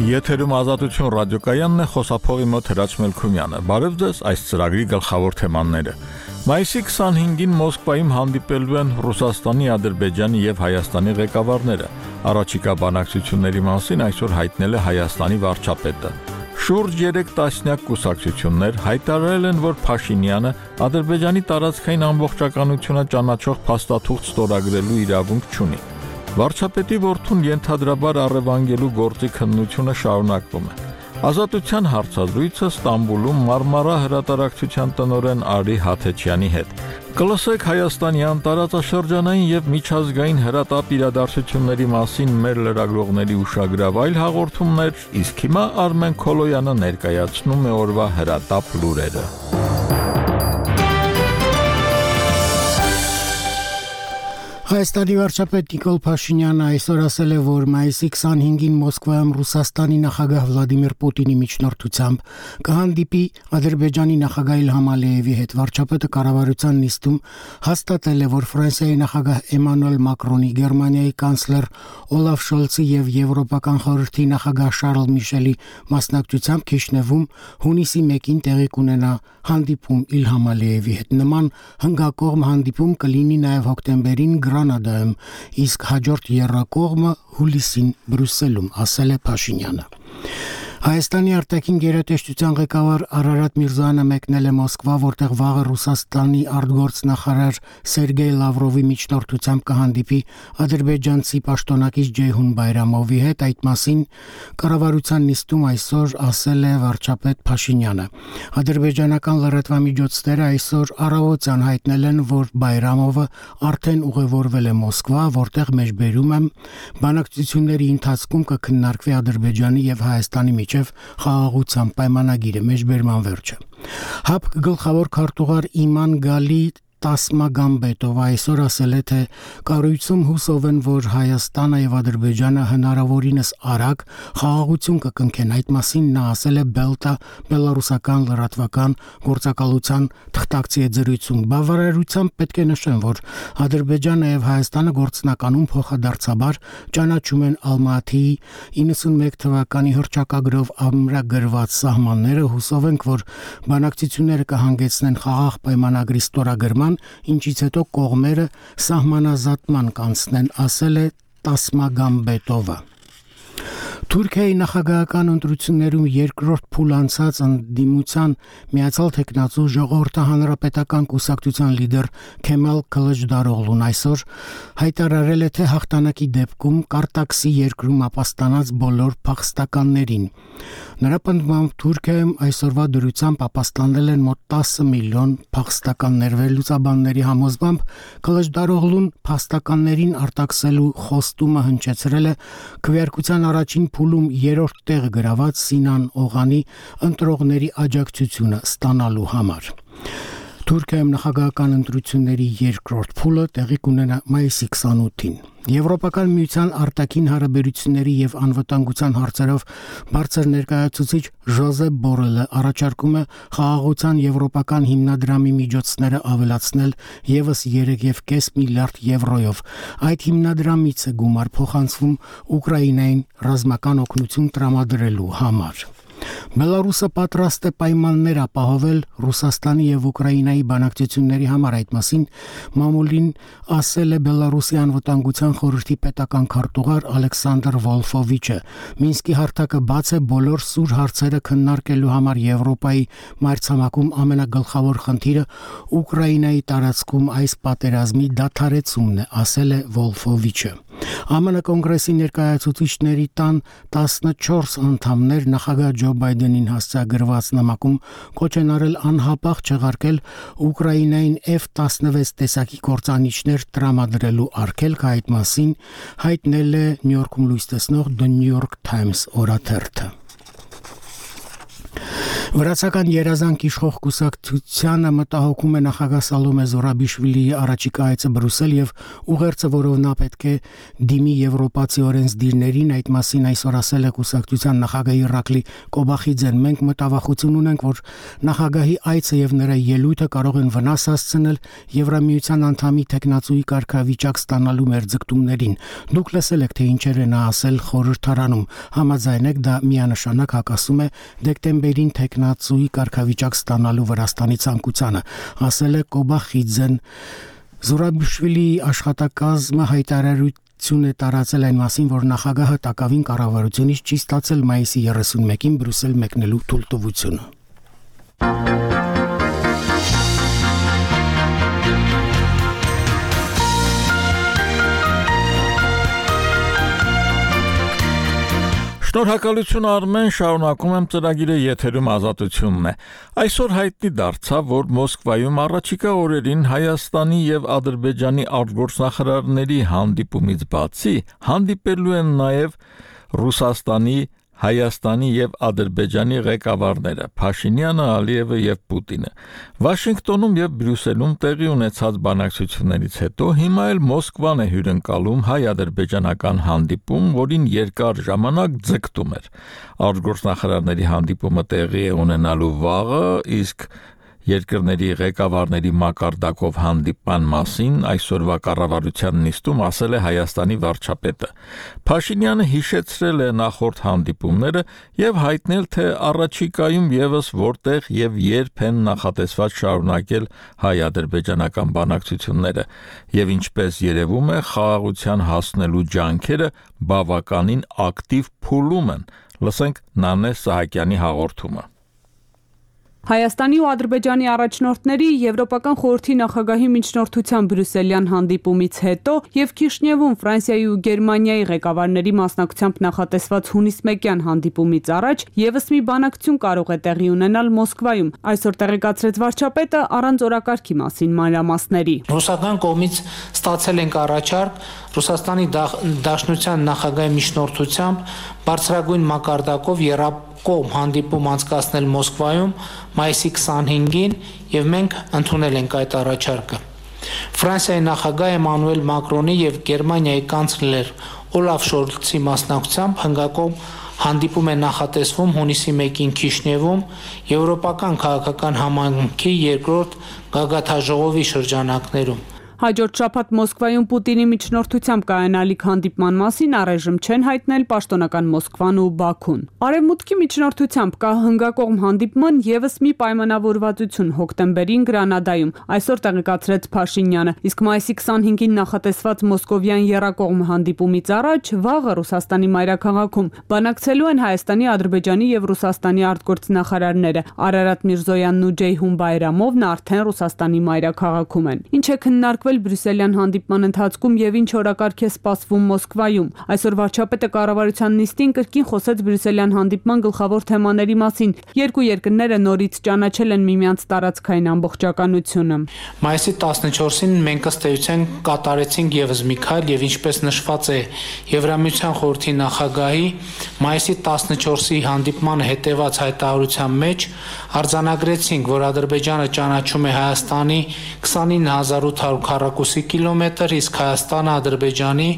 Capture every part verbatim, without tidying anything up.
Եթերում Ազատություն ռադիոկայանն է, խոսափողի մոտ Հրաչ Մելքումյանը։ Բարև ձեզ, այս ծրագրի գլխավոր թեմաները։ Մայիսի քսանհինգին Մոսկվայում հանդիպելու են Ռուսաստանի, Ադրբեջանի եւ Հայաստանի ղեկավարները։ Առաջիկա բանակցությունների մասին այսօր հայտնել է Հայաստանի վարչապետը։ Շուրջ երեք տասնյակ կուսակցություններ հայտարարել են, որ Փաշինյանը Ադրբեջանի տարածքային ամբողջականությունը ճանաչող փաստաթուղթ ստորագրելու իրավունք չունի։ Վարչապետի որդուն ենթադրաբար առևանգելու գործի քննությունը շարունակվում է։ Ազատության հարցազրույցը Ստամբուլում Մարմարա հրատարակչության տնօրեն Արի Հաթեչյանի հետ։ Կլսեք Հայաստանյան տարածաշրջանային եւ միջազգային հրատապ իրադարձությունների մասին մեր լրագրողների ուշագրավ այլ հաղորդումներ, իսկ հիմա Արմեն Քոլոյանը ներկայացնում է օրվա հրատապ լուրերը։ Հայաստանի վարչապետ Նիկոլ Փաշինյանը այսօր ասել է, որ մայիսի քսանհինգին Մոսկվայում Ռուսաստանի նախագահ Վլադիմիր Պուտինի միջնորդությամբ կհանդիպի Ադրբեջանի նախագահ Իլհամ Ալիևի հետ։ Վարչապետը կառավարության նիստում հաստատել է, որ Ֆրանսիայի նախագահ Էմանուել Մակրոնի, Գերմանիայի կանցլեր Օլաֆ Շոլցի եւ Եվրոպական խորհրդի նախագահ Շարլ Միշելի մասնակցությամբ Քիշնևում հունիսի մեկին տեղի կունենա հանդիպում Իլհամ Ալիևի հետ։ Նման հնգակողմ հանդիպում կլինի նաեւ հոկտեմբերին Գրանադայում, իսկ հաջորդ եռակողմը հուլիսին Բրյուսելում, ասել է Փաշինյանը։ Հայաստանի արտաքին գերատեսչության ղեկավար Արարատ Միրզոյանը մեկնել է Մոսկվա, որտեղ վաղը Ռուսաստանի արտգործնախարար Սերգեյ Լավրովի միջնորդությամբ կհանդիպի ադրբեջանցի պաշտոնակից Ջեյհուն Բայրամովի հետ։ Այդ մասին կառավարության նիստում այսօր ասել է վարչապետ Փաշինյանը։ Ադրբեջանական լրատվամիջոցները այսօր առավոտյան հայտնել են, որ Բայրամովը արդեն ուղևորվել է Մոսկվա, որտեղ մեջբերում եմ բանակցությունների ընթացքում կքննարկվի Ադրբեջանի եւ Հայաստանի միջև խաղաղության պայմանագիրը, մեջբերման վերջը։ ՀԱՊԿ գլխավոր քարտուղար Իման Գալի Տասմագամբետովը այսօր ասել է, թե կառույցում հուսով են, որ Հայաստանը եւ Ադրբեջանը հնարավորինս արագ խաղաղություն կկնքեն։ Այդ մասին նա ասել է Բելտա բելարուսական լրատվական գործակալության թղթակցի զրույցում։ Բավարարությամբ պետք է նշեմ, որ Ադրբեջանը եւ Հայաստանը գործնականում փոխադարձաբար ճանաչում են Ալմատիի իննսունմեկ թվականի հռչակագրով ամրագրված սահմանները։ Հուսով ենք, որ բանակցությունները կհանգեցնեն խաղաղ պայմանագրի ստորագրման, ինչից հետո կողմերը սահմանազատման կանցնեն, ասել է Տասմագամբետովը։ Թուրքիայի նախագահական ընտրություններում երկրորդ փուլ անցած ընդդիմության Միացյալ Թեկնածու ժողովրդահանրապետական կուսակցության լիդեր Քեմալ Քլիչդարօղլուն այսօր հայտարարել է, թե հաղթանակի դեպքում կարտաքսի երկրում ապաստանած բոլոր փախստականներին։ Նրա պնդմամբ Թուրքիայում այսօրվա դրությամբ ապաստանել են մոտ տասը միլիոն փախստականներ։ Վերլուծաբանների համոզմամբ Քլիչդարօղլուն փախստականներին արտաքսելու խոստումը հնչեցրել է քվեարկության առաջին փուլում երրորդ տեղը գրաված Սինան Օղանի ընտրողների աջակցությունը ստանալու համար։ Թուրքիայում նախագահական ընտրությունների երկրորդ փուլը տեղի կունենա մայիսի քսանութին։ Եվրոպական միության արտաքին հարաբերությունների եւ անվտանգության հարցերով բարձր ներկայացուցիչ Ժոզեփ Բորելը առաջարկում է խաղաղության եվրոպական հիմնադրամի միջոցները ավելացնել եւս երեք կόμma պենց միլիարդ եվրոյով։ Այդ հիմնադրամից է գումար փոխանցվում Ուկրաինային ռազմական օգնություն տրամադրելու համար։ Բելարուսը պատրաստ է պայմաններ ապահովել Ռուսաստանի եւ Ուկրաինայի բանակցությունների համար։ Այդ մասին մամուլին ասել է Բելարուսի անվտանգության խորհրդի պետական քարտուղար Ալեքսանդր Վոլֆովիչը։ Մինսկի հարթակը բաց է բոլոր սուր հարցերը քննարկելու համար։ Եվրոպայի մայրցամաքում ամենագլխավոր խնդիրը Ուկրաինայի տարածքում այս պատերազմի դադարեցումն է, ասել է Վոլֆովիչը։ ԱՄՆ կոնգրեսի ներկայացուցիչների տան տասնչորս անդամներ նախագահ Ջո Բայդենին հասցեագրված նամակում կոչ են արել անհապաղ չեղարկել Ուկրաինային Էֆ տասնվեց տեսակի կործանիչներ տրամադրելու արգելքը։ Այդ մասին հայտնել է Նյու Յորքում լույս տեսնող The New York Times օրաթերթը։ Վրացական երազանք իշխող կուսակցությանը մտահոգում է նախագահ Սալոմե Զորաբիշվիլիի առաջիկա այցը Բրյուսել եւ ուղերձը, որով նա պետք է դիմի եվրոպացի օրենսդիրներին, այդ մասին այսօր ասել է կուսակցության նախագահ Իրակլի Կոբախիձեն։ Մենք մտավախություն ունենք, որ նախագահի այցը եւ նրա ելույթը կարող են վնաս հասցնել Եվրամիության անդամի տեխնացուի կարգավիճակ ստանալու մեր ձգտումներին։ Դուք լսել եք, թե ինչեր է նա ասել խորհրդարանում։ Համաձայն եք, դա միանշանակ հակասում է դեկտեմբերին տեխնացուի կարգավիճակ ստանալու Վրաստանի ցանկությանը, ասել է Կոբախիձեն։ Զորաբիշվիլիի աշխատակազմը հայտարարություն է տարածել այն մասին, որ նախագահը տակավին կառավարությունից չի ստացել մայիսի երեսունմեկին Բրյուսել մեկնելու թույլտվությունը։ Շնորհակալություն Արմեն, շարունակում եմ ծրագիրը, եթերում Ազատությունն է։ Այսօր հայտնի դարձավ, որ Մոսկվայում առաջիկա օրերին Հայաստանի եւ Ադրբեջանի արտգործնախարարների հանդիպումից բացի հանդիպելու են նաեւ Ռուսաստանի, Հայաստանի եւ Ադրբեջանի ղեկավարները Փաշինյանը, Ալիևը եւ Պուտինը։ Վաշինգտոնում եւ Բրյուսելում տեղի ունեցած բանակցություններից հետո հիմա էլ Մոսկվան է հյուրընկալում հայ-ադրբեջանական հանդիպում, որին երկար ժամանակ ձգտում էր։ Արտգործնախարարների հանդիպումը տեղի է ունենալու վաղը, իսկ երկրների ղեկավարների մակարդակով հանդիպման մասին այսօրվա կառավարության նիստում ասել է Հայաստանի վարչապետը։ Փաշինյանը հիշեցրել է նախորդ հանդիպումները եւ հայտնել, թե առաջիկայում եւս որտեղ եւ երբ են նախատեսված շարունակել հայ-ադրբեջանական բանակցությունները եւ ինչպես երևում է, խաղաղության հասնելու ջանքերը բավականին ակտիվ փուլում են։ Լսենք Նանե Սահակյանի հաղորդումը։ Հայաստանի ու Ադրբեջանի առաջնորդների Եվրոպական խորհրդի նախագահի միջնորդությամբ բրյուսելյան հանդիպումից հետո եւ Քիշնևում Ֆրանսիայի ու Գերմանիայի ղեկավարների մասնակցությամբ նախատեսված հունիս մեկյան հանդիպումից առաջ եւս մի բանակցություն կարող է տեղի ունենալ Մոսկվայում։ Այսօր տեղեկացրեց վարչապետը առանց օրակարգի մասին մանրամասների։ Ռուսական կողմից ստացել ենք առաջարկ Ռուսաստանի Դաշնության նախագահի միջնորդությամբ բարձրագույն մակարդակով երակողմ հանդիպում անցկացնել Մոսկվայում մայիսի քսանհինգին եւ մենք ընդունել ենք այդ առաջարկը։ Ֆրանսիայի նախագահ Էմանուել Մակրոնի եւ Գերմանիայի կանցլեր Օլաֆ Շոլցի մասնակցությամբ հնգակողմ հանդիպում է նախատեսվում հունիսի մեկին Քիշնևում Եվրոպական քաղաքական համայնքի երկրորդ գագաթաժողովի շրջանակներում։ Հաջորդ շաբաթ Մոսկվայում Պուտինի միջնորդությամբ կայանալիք հանդիպման մասին առայժմ չեն հայտնել պաշտոնական Մոսկվան ու Բաքուն։ Արևմուտքի միջնորդությամբ կա հնգակողմ հանդիպման եւս մի պայմանավորվածություն հոկտեմբերին Գրանադայում, այսօր տեղեկացրեց Փաշինյանը, իսկ մայիսի քսանհինգին նախատեսված մոսկովյան եռակողմ հանդիպումից առաջ վաղը Ռուսաստանի մայրաքաղաքում բանակցելու են Հայաստանի, Ադրբեջանի եւ Ռուսաստանի արտգործնախարարները։ Արարատ Միրզոյանն ու Ջեյհուն Բայրամովն արդեն Ռուսաստանի մայրաքաղաքում են։ Ինչ է քննարկվել Բրյուսելյան հանդիպման ընթացքում եւ ինչ օրակարգ է սպասվում Մոսկվայում։ Այսօր վարչապետը կառավարության նիստին կրկին խոսեց Բրյուսելյան հանդիպման գլխավոր թեմաների մասին։ Երկու երկրները նորից ճանաչել են միմյանց տարածքային ամբողջականությունը։ Մայիսի տասնչորսին մենք ըստ էության կատարեցինք եւս մի քայլ եւ ինչպես նշված է Եվրամիության խորհրդի նախագահի մայիսի տասնչորսի հանդիպմանը հետեւած հայտարարության մեջ արձանագրեցինք, որ Ադրբեջանը ճանաչում է Հայաստանի քսանինը հազար ութ հարյուր քառակուսի կիլոմետր, իսկ Հայաստանը Ադրբեջանի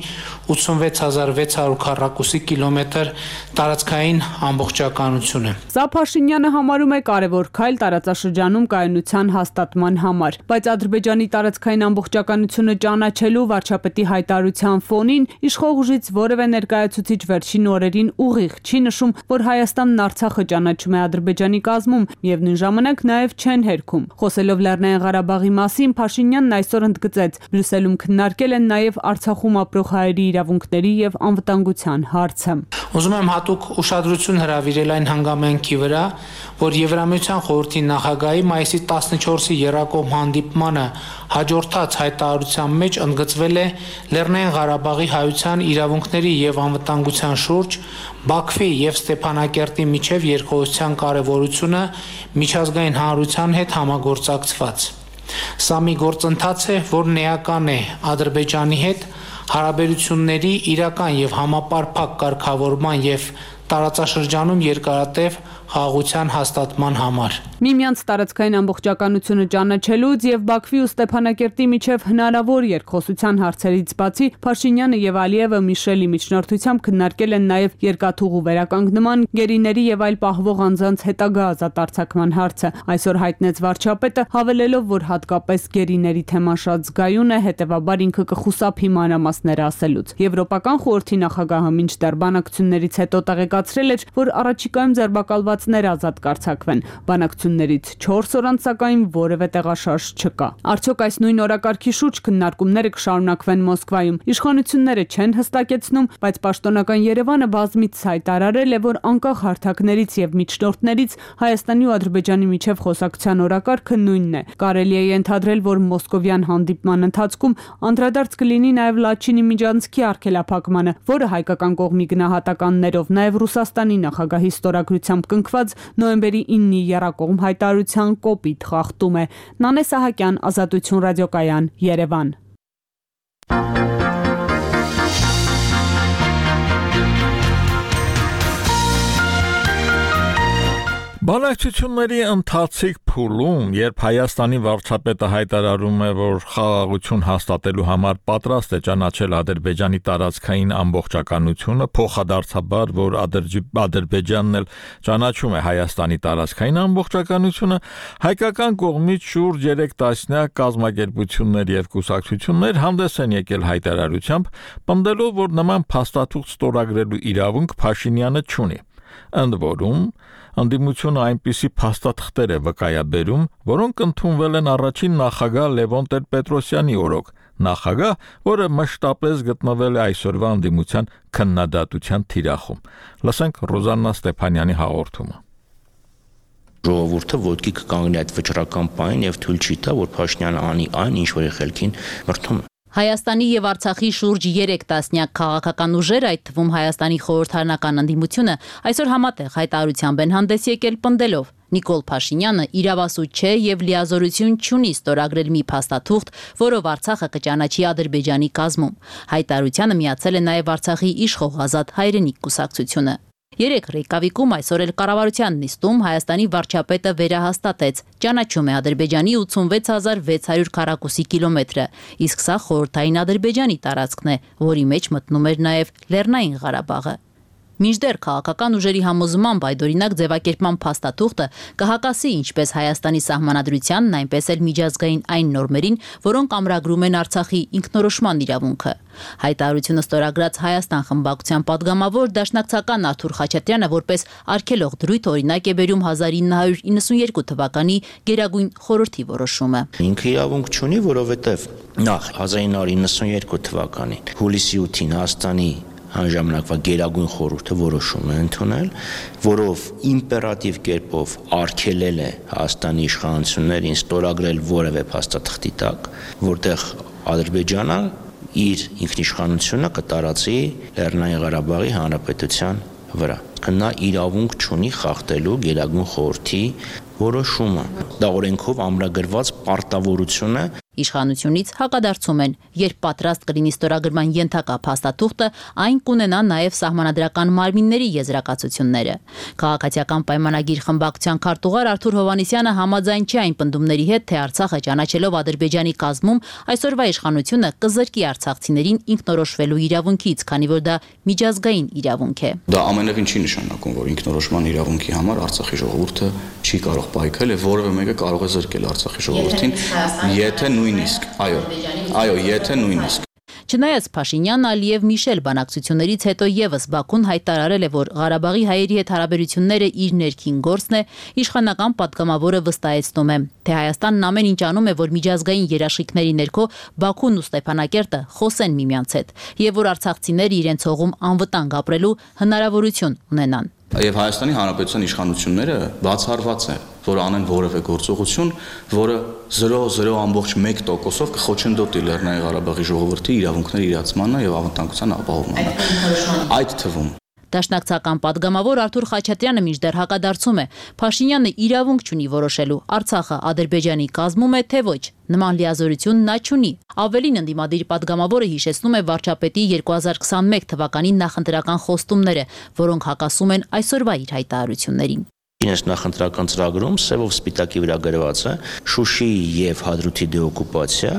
ութսունվեց հազար վեց հարյուր քառակուսի կիլոմետր տարածքային ամբողջականություն է։ Սա Փաշինյանը համարում է կարևոր քայլ տարածաշրջանում կայունության հաստատման համար, բայց Ադրբեջանի տարածքային ամբողջականությունը ճանաչելու վարչապետի հայտարարության ֆոնին իշխող ուժից որևէ ներկայացուցիչ վերջին օրերին ուղիղ չի նշում, որ Հայաստանն Արցախը ճանաչում է Ադրբեջանի կազմում եւ նույն ժամանակ նաեւ չեն հերքում։ Խոսելով Լեռնային Ղարաբաղի մասին, Փաշինյանն այսօր ընդգծեց, Բրյուսելում քննարկել են նաեւ Արցախում ապրող հայերի իրավունքների եւ անվտանգության հարցը։ Ուզում եմ հատուկ ուշադրություն հրավիրել այն հանգամանքի վրա, որ Եվրամիության խորհրդի նախագահի մայիսի տասնչորսի եռակողմ հանդիպմանը հաջորդած հայտարարության մեջ ընդգծվել է Լեռնային Ղարաբաղի հայության իրավունքների եւ անվտանգության շուրջ Բաքվի եւ Ստեփանակերտի միջև երկխոսության կարեւորությունը միջազգային հանրության հետ համագործակցված։ Սա մի գործընթաց է, որն էական է Ադրբեջանի հետ հարաբերությունների իրական եւ համապարփակ կարգավորման եւ տարածաշրջանում երկարատև խաղաղության հաստատման համար։ Միմյանց տարածքային ամբողջականությունը ճանաչելուց եւ Բաքվի ու Ստեփանակերտի միջև հնարավոր երկխոսության հարցերից բացի Փաշինյանը եւ Ալիևը Միշելի միջնորդությամբ քննարկել են նաեւ երկաթուղու վերականգնման, գերիների եւ այլ պահվող անձանց հետագա ազատարձակման հարցը։ Այսօր հայտնեց վարչապետը, հավելելով, որ հատկապես գերիների թեման շատ զգայուն է, հետեւաբար ինքը կխուսափի մանրամասները ասելուց։ Եվրոպական խորհրդի նախագահը մինչդեռ բանակցություններից հետո տեղեկացրել էր, որ առաջիկայում ձերբակալվածները ազատ կարձակվեն։ Բանակցություններից չորս օր անց սակայն որևէ տեղաշարժ չկա։ Արդյոք այս նույն օրակարգի շուրջ քննարկումները կշարունակվեն Մոսկվայում։ Իշխանությունները չեն հստակեցնում, բայց պաշտոնական Երևանը բազմիցս հայտարարել է, որ անկախ հարթակներից եւ միջնորդներից Հայաստանի ու Ադրբեջանի միջև խոսակցության օրակարգը նույնն է։ Կարելի է ենթադրել, որ մոսկովյան հանդիպման ընթացքում անդրադարձ կլինի նաեւ Լաչինի միջանցքի արգելափակմանը, որը հայկական կողմի գնահատականներով նաեւ Ռուսաստանի նախագահի ստորագրությամբ կնքված նոյեմբերի իննի եռակողմ հայտարարության կոպիտ խախտում է։ Նանե Սահակյան, Ազատություն ռադիոկայան, Երևան։ Բանակցությունների ընթացիկ փուլում, երբ Հայաստանի վարչապետը հայտարարում է, որ խաղաղություն հաստատելու համար պատրաստ է ճանաչել Ադրբեջանի տարածքային ամբողջականությունը, փոխադարձաբար, որ Ադրբեջանն էլ ճանաչում է Հայաստանի տարածքային ամբողջականությունը, հայկական կողմից շուրջ երեք տասնյակ կազմակերպություններ եւ կուսակցություններ հանդես են եկել հայտարարությամբ, պնդելով, որ նման փաստաթուղթ ստորագրելու իրավունք Փաշինյանը չունի։ Ընդ որում, անդիմությունը այնպիսի փաստաթղթեր է վկայաբերում, որոնք ընդունվել են առաջին նախագահ Լևոն Տեր-Պետրոսյանի օրոք, նախագահ, որը մշտապես գտնվել է այսօրվա անդիմության քննադատության թիրախում։ Լսենք Ռոզաննա Ստեփանյանի հաղորդումը։ Ժողովուրդը ոտքի կկանգնի այդ վճռական պահին եւ թույլ չի տա, որ Փաշինյանը անի այն, ինչ որ ելքին մրթում է։ Հայաստանի եւ Արցախի շուրջ երեք տասնյակ քաղաքական ուժեր, այդ թվում Հայաստանի խորհրդարանական ընդդիմությունը, այսօր համատեղ հայտարարությամբ են հանդես եկել պնդելով. Նիկոլ Փաշինյանը իրավասու չէ եւ լիազորություն չունի ստորագրել մի փաստաթուղթ, որով Արցախը կճանաչի Ադրբեջանի կազմում։ Հայտարարությանը միացել է նաեւ Արցախի իշխող Ազատ հայրենիք կուսակցությունը։ Երեք Ռեյկավիկում այսօր էլ կառավարության նիստում Հայաստանի վարչապետը վերահաստատեց. ճանաչում է Ադրբեջանի ութսունվեց հազար վեց հարյուր քառակուսի կիլոմետրը, իսկ սա խորհրդային Ադրբեջանի տարածքն է, որի մեջ մտնում էր նաև Լեռնային Ղարաբաղը։ Մինչդեռ քաղաքական ուժերի համոզմամբ այդօրինակ ձևակերպման փաստաթուղթը կհակասի ինչպես Հայաստանի սահմանադրությանն, այնպես էլ միջազգային այն նորմերին, որոնք ամրագրում են Արցախի ինքնորոշման իրավունքը։ Հայտարարությունը ստորագրած Հայաստան խմբակցության падգամավոր դաշնակցական Արթուր Խաչատրյանը որպես արգելող դրույթ օրինակ է բերում հազար ինը հարյուր իննսունյերկու թվականի Գերագույն խորհրդի որոշումը։ Ինքը իրավունք չունի, որովհետև նախ հազար ինը հարյուր իննսունյերկու թվականին հուլիսի ութին Հայաստանի Անժամանակվա Գերագույն խորհուրդը որոշում է ընդունել, որով իմպերատիվ կերպով արգելել է Հայաստանի իշխանություններին ստորագրել որևէ փաստաթղթի տակ, որտեղ Ադրբեջանը իր ինքնիշխանությունը կտարածի Լեռնային Ղարաբաղի Հանրապետության վրա։ Նա իրավունք չունի խախտելու Գերագույն խորհրդի որոշումը։ Դա օրենքով ամրագրված պարտավորություն է։ Իշխանությունից հակադարձում են, երբ պատրաստ կլինի ստորագրման ենթակա փաստաթուղթը, այն կունենա նաև սահմանադրական մարմինների եզրակացությունները։ Քաղաքացիական պայմանագիր խմբակցության քարտուղար Արթուր Հովհաննիսյանը համաձայն չէ այն պնդումների հետ, թե Արցախը ճանաչելով Ադրբեջանի կազմում այսօրվա իշխանությունը կզրկի արցախցիներին ինքնորոշվելու իրավունքից, քանի որ դա միջազգային իրավունք է։ Դա ամենևին չի նշանակում, որ ինքնորոշման իրավունքի համար Արցախի ժողովուրդը չի կարող պայքարել եւ որևէ մեկը կարող է զրկել Արցախի ժողովրդին, եթե նույնիսկ, այո, այո, եթե նույնիսկ։ Չնայած Փաշինյան, Ալիև, Միշել բանակցություններից հետո եւս Բաքուն հայտարարել է, որ Ղարաբաղի հայերի հետ հարաբերությունները իր ներքին գործն է, իշխանական падգամավորը վստահեցնում է, թե Հայաստանն ամեն ինչ անում է, որ միջազգային երաշխիքների ներքո Բաքուն ու Ստեփանակերտը խոսեն միմյանց հետ, եւ որ արցախցիները իրենց հողում անվտանգ ապրելու հնարավորություն ունենան։ Եվ Հայաստանի Հանրապետության իշխանությունները բացառված է, որ անեն որևէ գործողություն, որը զրո զրո ամբողջ մեկ տոկոսով կխոչընդոտի Լեռնային Ղարաբաղի ժողովրդի իրավունքների իրացմանը եւ անվտանգության ապահովմանը։ Այդ թվում Դաշնակցական падգամավոր Արթուր Խաչատրյանը մինչդեռ հակադարձում է. Փաշինյանը իրավունք չունի որոշելու Արցախը Ադրբեջանի կազմում է թե ոչ։ Նման լիազորություն նա չունի։ Ավելին ընդդիմադիր падգամավորը հիշեցնում է վարչապետի երկու հազար քսաներկու թվականի նախընտրական խոստումները, որոնք հակասում են այսօրվա իր հայտարարություններին։ Ինձ նախընտրական ծրագրում սևով սպիտակի վրա գրված է Շուշիի եւ Հադրութի դեօկուպացիա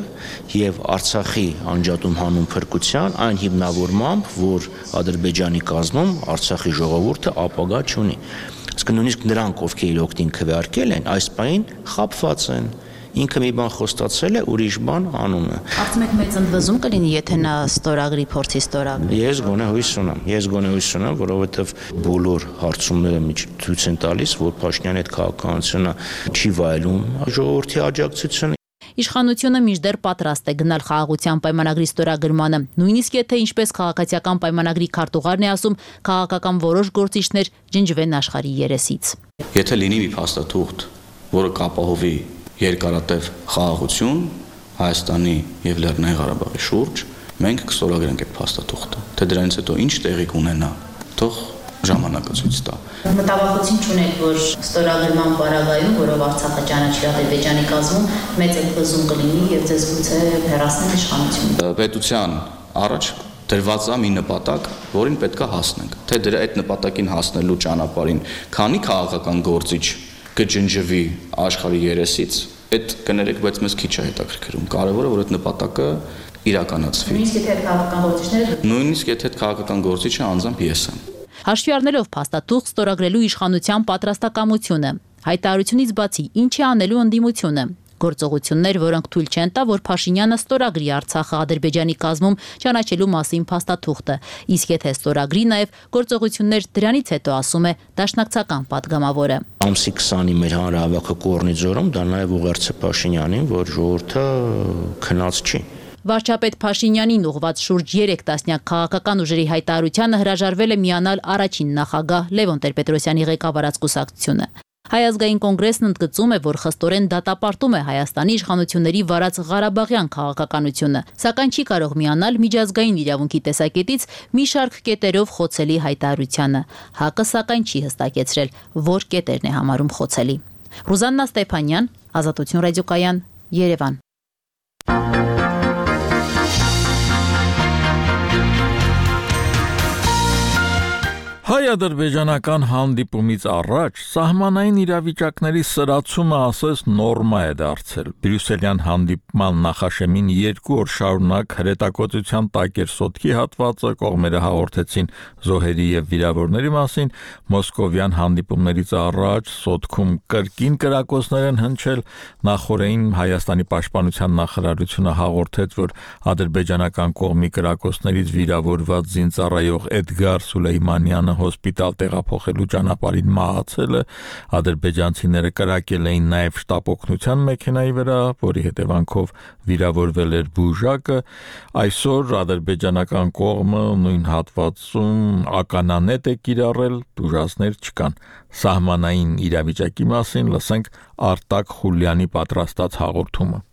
եւ Արցախի անջատում հանուն փրկության այն հիմնավորմամբ, որ Ադրբեջանի կազմում Արցախի ժողովուրդը ապագա չունի։ Իսկ նույնիսկ նրանք, ովքեր իր օգտին քվեարկել են, այս պահին խաբված են։ Ինքը մի բան խոստացել է, ուրիշ բան անում է։ Կարծում եք մեծ ընդվզում կլինի, եթե նա ստորագրի փորձի ստորագրի։ Ես գոնե հույս ունեմ, ես գոնե հույս ունեմ, որովհետև բոլոր հարցումները ցույց են տալիս, որ Փաշինյանի այդ քաղաքականությունը չի վայելում ժողովրդի աջակցությունը։ Իշխանությունը մինչդեռ պատրաստ է գնալ խաղաղության պայմանագրի ստորագրմանը, նույնիսկ եթե ինչպես քաղաքացիական պայմանագրի քարտուղարն է ասում, քաղաքական որոշ գործիչներ ջնջվեն աշխարհի երեսից։ Եթե լինի մի փաստաթուղթ, որը կապահովի երկարատև խաղաղություն Հայաստանի եւ Լեռնային Ղարաբաղի շուրջ, մենք կստորագրենք այդ փաստաթուղթը։ Թե դրանից հետո ինչ տեղի կունենա, թող ժամանակը ցույց տա։ Մտավախություն չունեք, որ ստորագրման պարագայում, որով Արցախը ճանաչի Ադրբեջանի կազմում, մեծ ընդվզում կլինի եւ ձեզ գուցե հեռացնեն իշխանությունը։ Պետության առաջ դրված է մի նպատակ, որին պետք է հասնենք։ Թե դրա այդ նպատակին հասնելու ճանապարհին քանի քաղաքական գործիչ կջնջվի աշխարհի երեսից, այդ կներեք, բայց մեզ քիչ է հետաքրքրում։ Կարևորը որ այդ նպատակը իրականացվի։ Նույնիսկ եթե քաղաքական գործիչները Նույնիսկ եթե քաղաքական գործիչը անձամբ ես եմ։ Հաշվի առնելով փաստաթուղթ ստորագրելու իշխանության պատրաստակամությունը, հայտարարությունից բացի ինչ է անելու ընդդիմությունը, գործողություններ, որոնք թույլ չեն տա, որ Փաշինյանը ստորագրի Արցախը Ադրբեջանի կազմում ճանաչելու մասին փաստաթուղթը, իսկ եթե ստորագրի նաև գործողություններ դրանից հետո, ասում է դաշնակցական падգամավորը։ Ամսի քսանի մեր հանրահավաքը Կորնի ձորում դա նաև ուղերձ է Փաշինյանին, որ ժողովուրդը քնած չի։ Վարչապետ Փաշինյանին ուղված շուրջ երեք տասնյակ քաղաքական ուժերի հայտարարությանը հրաժարվել է միանալ առաջին նախագահ Լևոն Տեր-Պետրոսյանի ղեկավարած կուսակցությունը։ Հայ ազգային կոնգրեսն ընդգծում է, որ խստորեն դատապարտում է Հայաստանի իշխանությունների վարած Ղարաբաղյան քաղաքականությունը, սակայն չի կարող միանալ միջազգային իրավունքի տեսակետից մի շարք կետերով խոցելի հայտարարությանը։ ՀԱԿ-ը սակայն չի հստակեցրել, որ կետերն է համարում խոցելի։ Ռուզաննա Ստեփանյան, Ազատություն ռադիոկայան, Երևան։ Հայ-ադրբեջանական հանդիպումից առաջ սահմանային իրավիճակների սրացումը ասես նորմա է դարձել։ Բրյուսելյան հանդիպման նախաշեմին երկու օր շարունակ հրետակոծության տակ էր Սոտքի հատվածը, կողմերը հաղորդեցին զոհերի եւ վիրավորների մասին, մոսկովյան հանդիպումներից առաջ Սոտքում կրկին կրակոցներ են հնչել, նախորդին Հայաստանի պաշտպանության նախարարությունը հաղորդեց, որ ադրբեջանական կողմի կրակոցներից վիրավորված զինծառայող Էդգար Սուլեյմանյանը հոսպիտալ տեղափոխելու ճանապարհին մահացել է, ադրբեջանցիները կրակել էին նաև շտապօգնության մեքենայի վրա, որի հետևանքով վիրավորվել էր բուժակը, այսօր ադրբեջանական կողմը նույն հատվածում ականանետ է կիրառել, դժվարներ չկան։ Սահմանային իրավիճակի մասին լսենք Արտակ Խուլյանի պատրաստած հաղորդումը։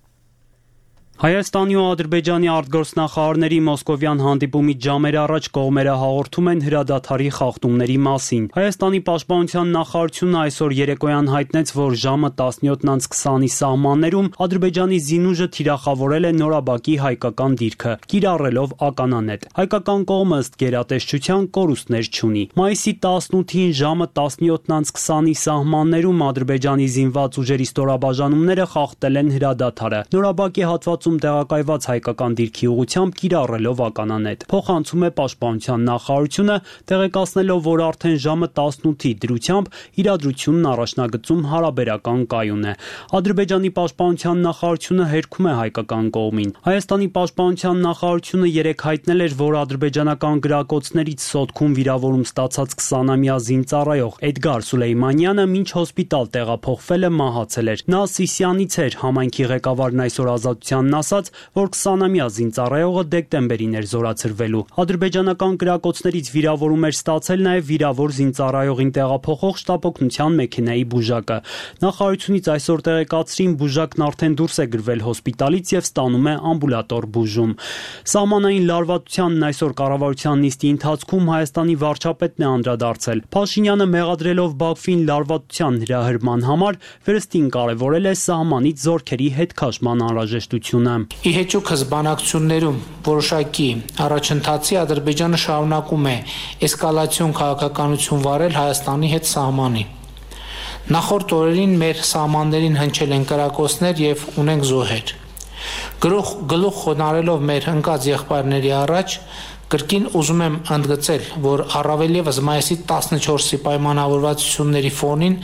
Հայաստանի ու Ադրբեջանի արտգործնախարարների մոսկովյան հանդիպումից ժամեր առաջ կողմերը հաղորդում են հրադադարի խախտումների մասին։ Հայաստանի պաշտպանության նախարարությունը այսօր երեկոյան հայտնեց, որ ժամը տասնյոթ քսանի սահմաններում Ադրբեջանի զինուժը թիրախավորել է Նորաբակի հայկական դիրքը, կիրառելով ականանետ։ Հայկական կողմը ըստ գերատեսչության կորուստներ չունի։ Մայիսի տասնութին ժամը տասնյոթ քսանի սահմաններում Ադրբեջանի զինված ուժերի ստորաբաժանումները խախտել են հրադադարը։ Նորաբակի հատվածում տեղակայված հայկական դիրքի ուղղությամբ կիրառելով ականանետ։ Փոխանցում է պաշտպանության նախարարությունը, տեղեկացնելով, որ արդեն ժամը տասնութի դրությամբ իրադրությունն առաջնագծում հարաբերական կայուն է։ Ադրբեջանի պաշտպանության նախարարությունը հերքում է հայկական կողմին։ Հայաստանի պաշտպանության նախարարությունը երեկ հայտնել էր, որ ադրբեջանական գրակոծներից Սոտքում վիրավորում ստացած քսանամյա զինծառայող Էդգար Սուլեյմանյանը մինչ հոսպիտալ տեղափոխվել է մահացել էր։ Նա Սիսյանից էր, համայնքի ղեկավարն այսօր Ազատության ասաց, որ քսանամյա զինծառայողը դեկտեմբերին էր զորացրվելու։ Ադրբեջանական կրակոցներից վիրավորում էր ստացել նաև վիրավոր զինծառայողին տեղափոխող շտապօգնության մեքենայի բուժակը։ Նախարարությունից այսօր տեղեկացրին, բուժակն արդեն դուրս է գրվել հոսպիտալից եւ ստանում է ամբուլատոր բուժում։ Սահմանային լարվածությանն այսօր կառավարության նիստի ընթացքում Հայաստանի վարչապետն է անդրադարձել։ Փաշինյանը մեղադրելով Բաքվին լարվածության հրահրման համար վերստին կարևորել է սահմանից զորքերի հետքաշման անհրաժեշտությունը։ Ի հեճուկ հզբանակցություններում որոշակի առաջընթացի Ադրբեջանը շարունակում է էսկալացիոն քաղաքականություն վարել Հայաստանի հետ սահմանի։ Նախորդ օրերին մեր սահմաններին հնչել են կրակոցներ եւ ունենք զոհեր։ Գլուխ գլուխ խոնարելով մեր ընկած եղբայրների առաջ կրկին ուզում եմ ընդգծել, որ առավել եւս մայիսի տասնչորսի պայմանավորվածությունների ֆոնին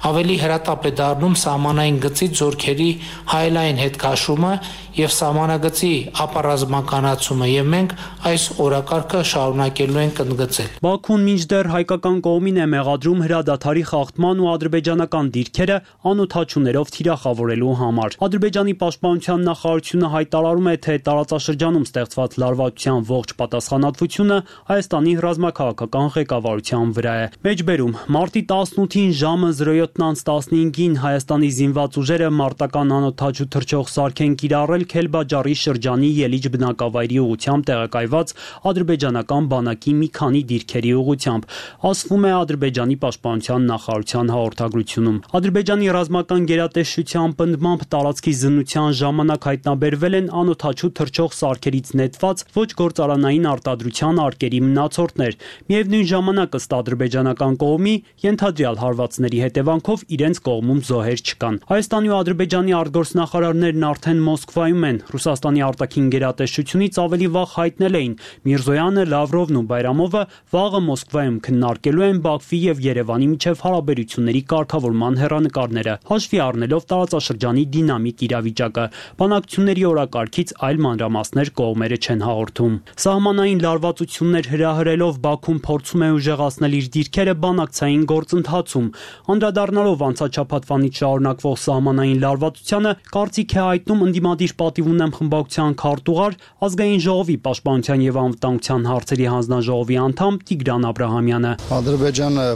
ավելի հրատապ է դառնում սահմանային գծից զորքերի հայելային հետքաշումը եւ սահմանագծի ապառազմականացումը եւ մենք այս օրակարգը շարունակելու ենք ընդգծել։ Բաքուն մինչդեռ հայկական կողմին է մեղադրում հրադադարի խախտման ու ադրբեջանական դիրքերը անօթաչուներով թիրախավորելու համար։ Ադրբեջանի պաշտպանության նախարարությունը հայտարարում է, թե տարածաշրջանում ստեղծված լարվածության ողջ պատասխանատվությունը Հայաստանի ռազմաքաղաքական ղեկավարության վրա է։ Մեջբերում մարտի տասնութին ժամը զրո յոթ տասնհինգին Հայաստանի զինված ուժերը մարտական անօթաչու թռչող սարք են կիրառել Քելբաջարի շրջանի Ելիջ բնակավայրի ուղղությամբ տեղակայված ադրբեջանական բանակի մի քանի դիրքերի ուղղությամբ, ասվում է Ադրբեջանի պաշտպանության նախարարության հաղորդագրությունում։ Ադրբեջանի ռազմական գերատեսչության պնդմամբ տարածքի զննության ժամանակ հայտնաբերվել են անօթաչու թռչող սարքերից նետված ոչ գործարանային արտադրության արկերի մնացորդներ։ Միևնույն ժամանակ ըստ ադրբեջանական կողմի ենթադրյալ հարվածների հետևանքով իրենց կողմում զոհեր չկան։ Հայաստանի ու Ադրբեջանի արտգործնախարարներն արդեն Մոսկվայում են։ Ռուսաստանի արտաքին գերատեսչությունից ավելի վաղ հայտնել էին՝ Միրզոյանը, Լավրովն ու Բայրամովը վաղը Մոսկվայում քննարկելու են Բաքվի եւ Երևանի միջև հարաբերությունների կարգավորման հեռանկարները, հաշվի առնելով տարածաշրջանի դինամիկ իրավիճակը։ Բանակցությունների օրակարգից այլ մանրամասներ կողմերը չեն հաղորդում։ Սահմանային լարվածություններ հրահրելով Բաքուն փորձում է ուժեղացնել իր դիրքերը բանակցային գործընթացում։ Անդրադառնալով անցաչափատվանից շարունակվող սահմանային լարվածությանը, կարծիք է հայտնում ընդդիմադիր պատիվ ունեմ խմբակցության քարտուղար, ազգային ժողովի պաշտպանության եւ անվտանգության հարցերի հանձնաժողովի անդամ Տիգրան Աբրահամյանը։ Ադրբեջանը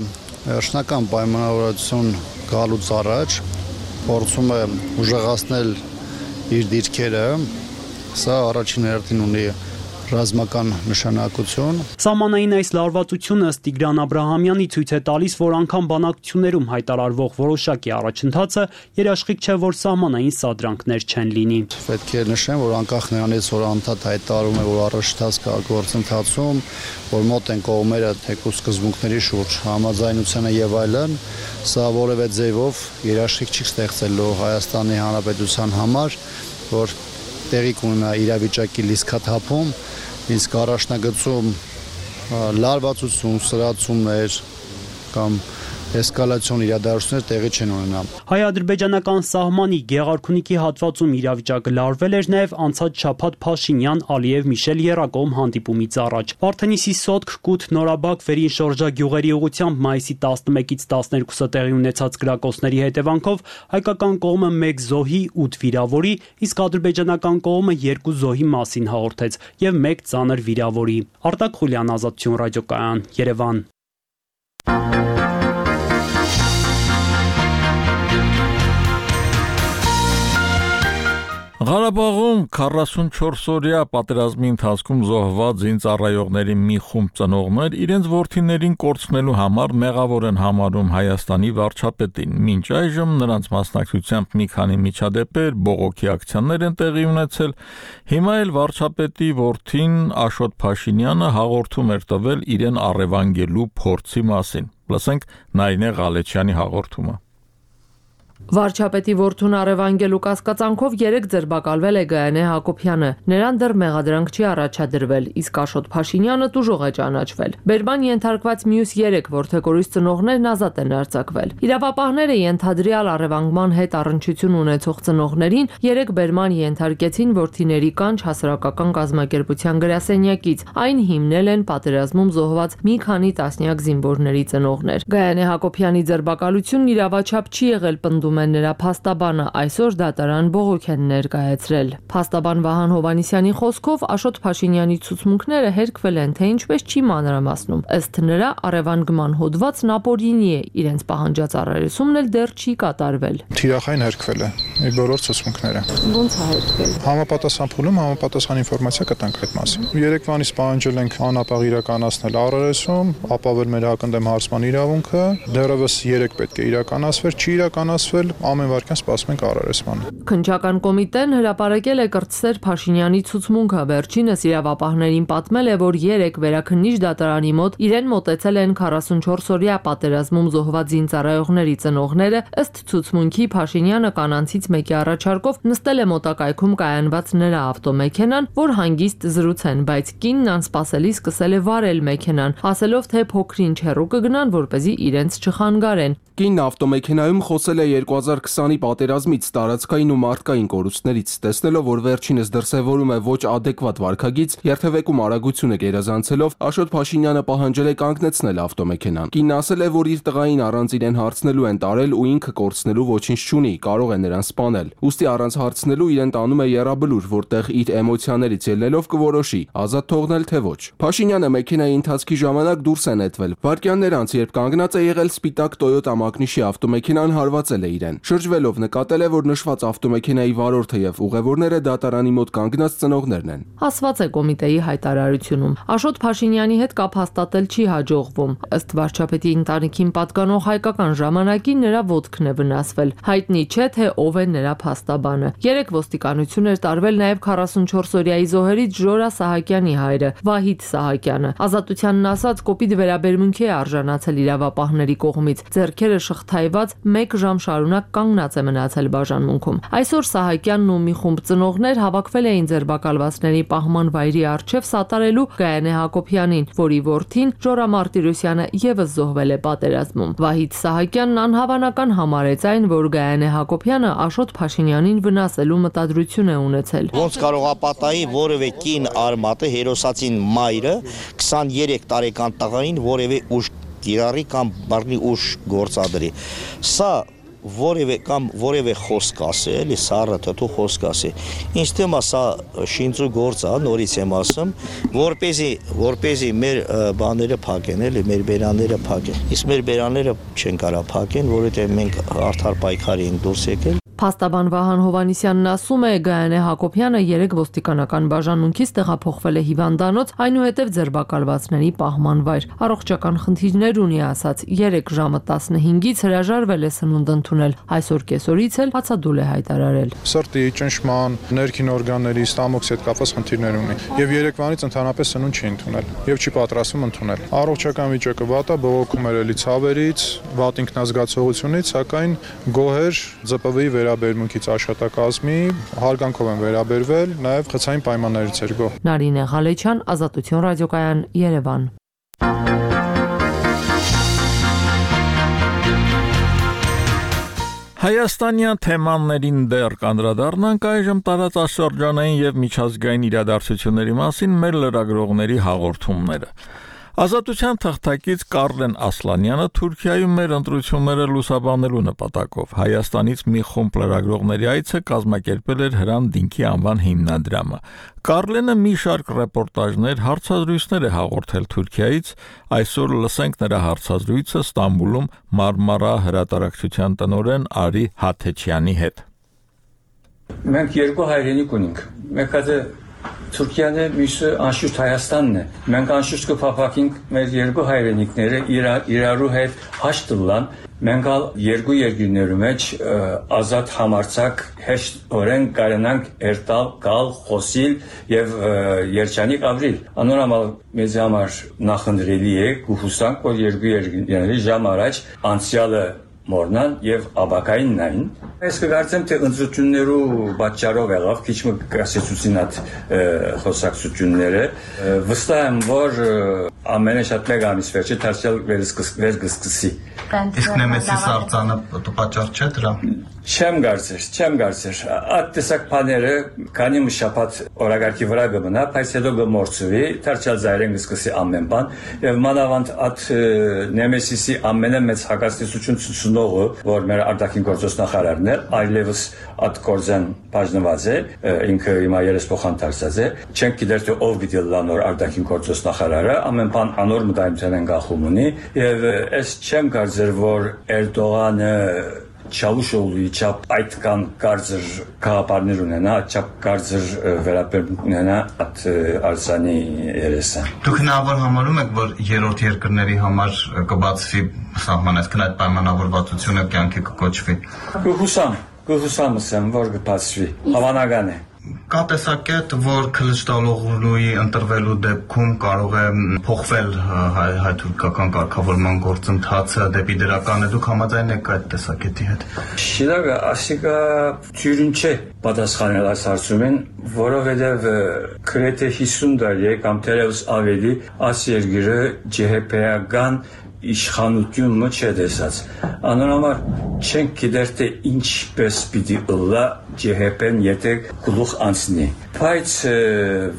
վերջնական պայմանավորվածություն գալուց առաջ փորձում է ուժեղացնել իր դիրքերը, սա առաջին հերթին ունի ռազմական նշանակություն։ Սահմանային այս լարվածությունը ըստ Տիգրան Աբրահամյանի ցույց է տալիս, որ անգամ բանակցություններում հայտարարվող որոշակի առաջընթացը երաշխիք չէ, որ սահմանային սադրանքներ չեն լինի։ Պետք է նշեմ, որ անկախ նրանից, որ անդադ հայտարարում է, որ առաջընթաց կա գործընթացում, որ մոտ են կողմերը թեկուզ սկզբունքների շուրջ համաձայնությանը եւ այլն, սա որևէ ձևով երաշխիք չի ստեղծելու Հայաստանի Հանրապետության համար, որ տեղի կունենա իրավիճակի լիցքաթափում, իսկ առաջնագծում լարվածություն, սրացումներ կամ էսկալացիոն իրադարձություններ տեղի չեն ունենա։ Հայ-ադրբեջանական սահմանի Գեղարքունիքի հատվածում իրավիճակը լարվել էր նաև անցած շաբաթ Փաշինյան-Ալիև-Միշել եռակողմ հանդիպումից առաջ։ Վարդենիսի Սոտք, Կութ, Նորաբակ, Վերին շրջագյուղերի ուղղությամբ մայիսի տասնմեկից տասներկուսը տեղի ունեցած կրակոցների հետևանքով հայկական կողմը մեկ զոհի, ութ վիրավորի, իսկ ադրբեջանական կողմը երկու զոհի մասին հաղորդեց եւ մեկ ծանր վիրավորի։ Արտակ Խուլյան, Ազատություն ռադիոկայան, Երևան։ Ղարաբաղում քառասունչորս օրյա պատերազմի ընթացքում զոհված զինծառայողների մի խումբ ծնողներ իրենց որդիներին կորցնելու համար մեղավոր են համարում Հայաստանի վարչապետին։ Մինչ այժմ նրանց մասնակցությամբ մի քանի միջադեպեր, բողոքի ակցիաներ են տեղի ունեցել։ Հիմա էլ վարչապետի որդին Աշոտ Փաշինյանը հաղորդում էր տվել իրեն առևանգելու փորձի մասին։ Լսենք Նարինե Ղալեչյանի հաղորդումը։ Վարչապետի որդուն առևանգելու կասկածանքով երեք ձերբակալվել է Գայանե Հակոբյանը։ Նրան դեռ մեղադրանք չի առաջադրվել, իսկ Աշոտ Փաշինյանը տուժող է ճանաչվել։ Բերման ենթարկված մյուս երեք որդեգորույս ծնողներն ազատ են արձակվել։ Իրավապահները ենթադրյալ առևանգման հետ առնչություն ունեցող ծնողներին երեք բերման ենթարկեցին որդիների կանչ հասարակական կազմակերպության գրասենյակից։ Այն հիմնել են պատերազմում զոհված մի քանի տասնյակ զինվորների ծնողներ։ Գայանե Հակոբյանի ձերբակալությունն իրավաչափ չի եղել պնդում պնդում են նրա փաստաբանը, այսօր դատարան բողոք են ներկայացրել։ Փաստաբան Վահան Հովանիսյանի խոսքով Աշոտ Փաշինյանի ցուցմունքները հերկվել են, թե ինչպես չի մանրամասնում։ Ըստ նրա առևանգման հոդվածն ապօրինի է, իրենց պահանջած առերեսումն էլ դեռ չի կատարվել։ Թիրախային հերկվել է իր բոլոր ցուցմունքները։ Ո՞նց է հերկվել։ Համապատասխան փուլում համապատասխան ինֆորմացիա կտանք այդ մասին։ Երեկվանից պահանջել ենք անապաղ իրականացնել առերեսում, ապավել մեր հակընդդեմ հարցման իրավունքը, դեռևս երեք պետք է իրականացվեր, չի իրականացվել, ամեն վարքյան սպասում ենք առերեսմանը։ Քննչական կոմիտեն հրապարակել է կրտսեր Փաշինյանի ցուցմունքը, վերջինս իրավապահներին պատմել է, որ երեք վերաքննիչ դատարանի մոտ իրեն մոտեցել են քառասունչորս օրյա պատերազմում զոհված զինծառայողների ծնողները, ըստ ցուցմունքի Փաշինյանը կանանցից մեկի առաջարկով նստել է մոտակայքում կայանված նրա ավտոմեքենան, որ հանգիստ զրուցեն, բայց կինն անսպասելի սկսել է վարել մեքենան, ասելով թե փոքրինչ հեռու կգնան, որպեսզի իրենց չխանգարեն։ Կինն ավտոմեքենայում խոսել է երկու հազար քսանի պատերազմից, տարածքային ու մարդկային կորուստներից, տեսնելով, որ վերջինս դրսևորում է ոչ ադեկվատ վարքագիծ, երթևեկում արագությունը գերազանցելով, Աշոտ Փաշինյանը պահանջել է կանգնեցնել ավտոմեքենան։ Կինն ասել է, որ իր տղային առանց իրեն հարցնելու են տարել ու ինքը կորցնելու ոչինչ չունի, կարող է նրան սպանել։ Ուստի առանց հարցնելու իրեն տանում է եռաբլուր, որտեղ իր էմոցիաներից ելնելով կորոշի, ազատ թողնել թե ոչ։ Փաշինյանը մեքենայի ընթացքի ժամանակ դուրս է նետվել։ Վայրկյաններ անց, երբ կանգնած է եղել սպիտակ Toyota Մագնիշի ավտոմեքենան, հարվածել է իրեն։ Շրջվելով նկատել է, որ նշված ավտոմեքենայի վարորդը եւ ուղևորները դատարանի մոտ կանգնած ծնողներն են։ Ասված է կոմիտեի հայտարարությունում։ Աշոտ Փաշինյանի հետ կապ հաստատել չի հաջողվում։ Ըստ վարչապետի ընտանիքին պատկանող հայկական ժամանակի նրա ոտքն է վնասվել։ Հայտնի չէ, թե ով է նրա փաստաբանը։ Երեք ոստիկանություն էր տարվել նաեւ քառասունչորս օրյայի զոհերից Ժորա Սահակյանի հայրը Վահիթ Սահակյանը։ Ազատությանն ասած կոպիտ վերաբերմունքի է արժանացել իրավապահների կողմից։ Ձեռքերը շղթայված մեկ ժամ շարունակ կանգնած է մնացել բաժանմունքում։ Այսօր Սահակյանն ու մի խումբ ծնողներ հավաքվել էին ձերբակալվածների պահման վայրի առջև սատարելու Գայանե Հակոբյանին, որի որդին Ժորա Մարտիրոսյանը եւս զոհվել է պատերազմում։ Վահիթ Սահակյանն անհավանական համարեց այն, որ Գայանե Հակոբյանը Աշոտ Փաշինյանին վնասելու մտադրություն է ունեցել։ Ոնց կարող է պատահի որևէ կին արմատը հերոսացին մայրը քսաներեք տարեկան տղային որևէ ուժ կիրառի կամ բռնի ուժ գործադրի։ Սա որևէ կամ որևէ խոսք ասի, էլի սառը թթու խոսք ասի։ Ինչ թեմա սա շինծու գործ է, նորից եմ ասում, որպեսզի որպեսզի մեր բաները փակեն, էլի մեր բերանները փակեն։ Իսկ մեր բերանները չեն կարող փակեն, որովհետև մենք արդար պայքարի ենք դուրս եկել։ Փաստաբան Վահան Հովանիսյանն ասում է, Գայանե Հակոբյանը երեք ոստիկանական բաժանմունքից տեղափոխվել է հիվանդանոց, այնուհետև ձերբակալվածների պահման վայր։ Առողջական խնդիրներ ունի, ասաց, երեք ժամը տասնհինգից հրաժարվել է սնունդ ընդունել, այսօր կեսօրից էլ հացադուլ է հայտարարել։ Սրտի, ճնշման, ներքին օրգանների, ստամոքսի հետ կապված խնդիրներ ունի եւ երեկվանից ընդհանրապես սնունդ չի ընդունել եւ չի պատրաստվում ընդունել։ Առողջական վիճակը վատ է, բողոքում էր էլի ցավերից, վատ ինքնազգացողությունից, սակայն գոհեր ԶՊՎ-ի վերաբերմունքից աշխատակազմի հարգանքով են վերաբերվել, նաև խցային պայմաններից էր գոհ։ Նարինե Ղալեչյան, Ազատություն ռադիոկայան, Երևան։ Հայաստանյան թեմաներին դեռ կանդրադառնանք այժմ տարածաշրջանային եւ միջազգային իրադարձությունների մասին մեր լրագրողների հաղորդումները։ Ազատության թղթակից Կարլեն Ասլանյանը Թուրքիայում մեր ընտրությունները լուսաբանելու նպատակով Հայաստանից մի խումբ լրագրողների այցը կազմակերպել էր Հրան Դինքի անվան հիմնադրամը։ Կարլենը մի շարք ռեպորտաժներ, հարցազրույցներ է հաղորդել Թուրքիայից, այսօր լսենք նրա հարցազրույցը Ստամբուլում Մարմարա հրատարակչության տնօրեն Արի Հաթեչյանի հետ։ Մենք երկու հայրենիք ունենք։ Մեկը Թուրքիան է, մյուսը անշուշտ Հայաստանն է։ Մենք անշուշտ կփափակենք մեր երկու հայրենիքները իրարու հետ հաշտվան։ Մենք երկու երկրների մեջ ազատ համարձակ հեշտորեն կարենանք երթալ, գալ, խոսիլ եւ երջանիկ ապրիլ։ Անորոմալ մեզ համար նախընտրելի է կհուսանք, որ երկու երկրների ժամ առաջ անցյալը մորնան եւ աբակային նային։ Ես կգործեմ թե ընտրություններու պատճառով եղավ քիչ մը կասեցուցին այդ խոսակցությունները վստահ եմ որ ամենը շատ մեկ ամիս վերջը դարձյալ վերսկսի։ Իսկ Նեմեսիս արձանը պատճառ չէ դրա։ Չեմ գարցեր, չեմ գարցեր։ Այդ տեսակ բաները քանի մի շաբաթ օրագարկի վրա կմնա, բայց հետո կմորցվի, դարձյալ զայրեն կսկսի ամեն բան, եւ մանավանդ այդ Նեմեսիսի ամենամեծ հակասություն ցուցնողը, որ մեր արտաքին գործոս նախարարն է, այլևս այդ գործեն բաժնված է, ինքը հիմա երեսփոխան դարձած է, չենք գիտեր թե ով գիտի լանոր արտաքին գործոս նախարարը, ամեն բան անոր մտայնության են գախում ունի, եւ այս չեմ կարծեր, որ Էրդողանը Չավուշօղլուի չափ այդքան կարծր քաղաքապարներ ունենա, չափ կարծր վերաբերմունք ունենա այդ արձանի երեսան։ Դուք հնարավոր համարում եք, որ երրորդ երկրների համար կբացվի սահմանեցքն այդ պայմանավորվածությունը կյանքի կկոչվի։ Կհուսամ, կհուսամ ասեմ, որ կբացվի, հավանական է։ Կա տեսակետ, որ Քլիչդալօղլուի ընտրվելու դեպքում կարող է փոխվել հայ-թուրքական կարգավորման գործընթացը դեպի դրականը, դուք համաձայն եք այդ տեսակետի հետ։ Շիրակը ասիկա թյուրին չէ պատասխանել այս հարցումին, որովհետև գրեթե հիսուն տարի է կամ թերևս ավելի այս երկիրը ջեհեպեական իշխանությունը չէ տեսած։ Անոնհամար չենք գիտեր թե ինչպես պիտի ըլլա ջեհեպեն եթե գլուխ անցնի։ Բայց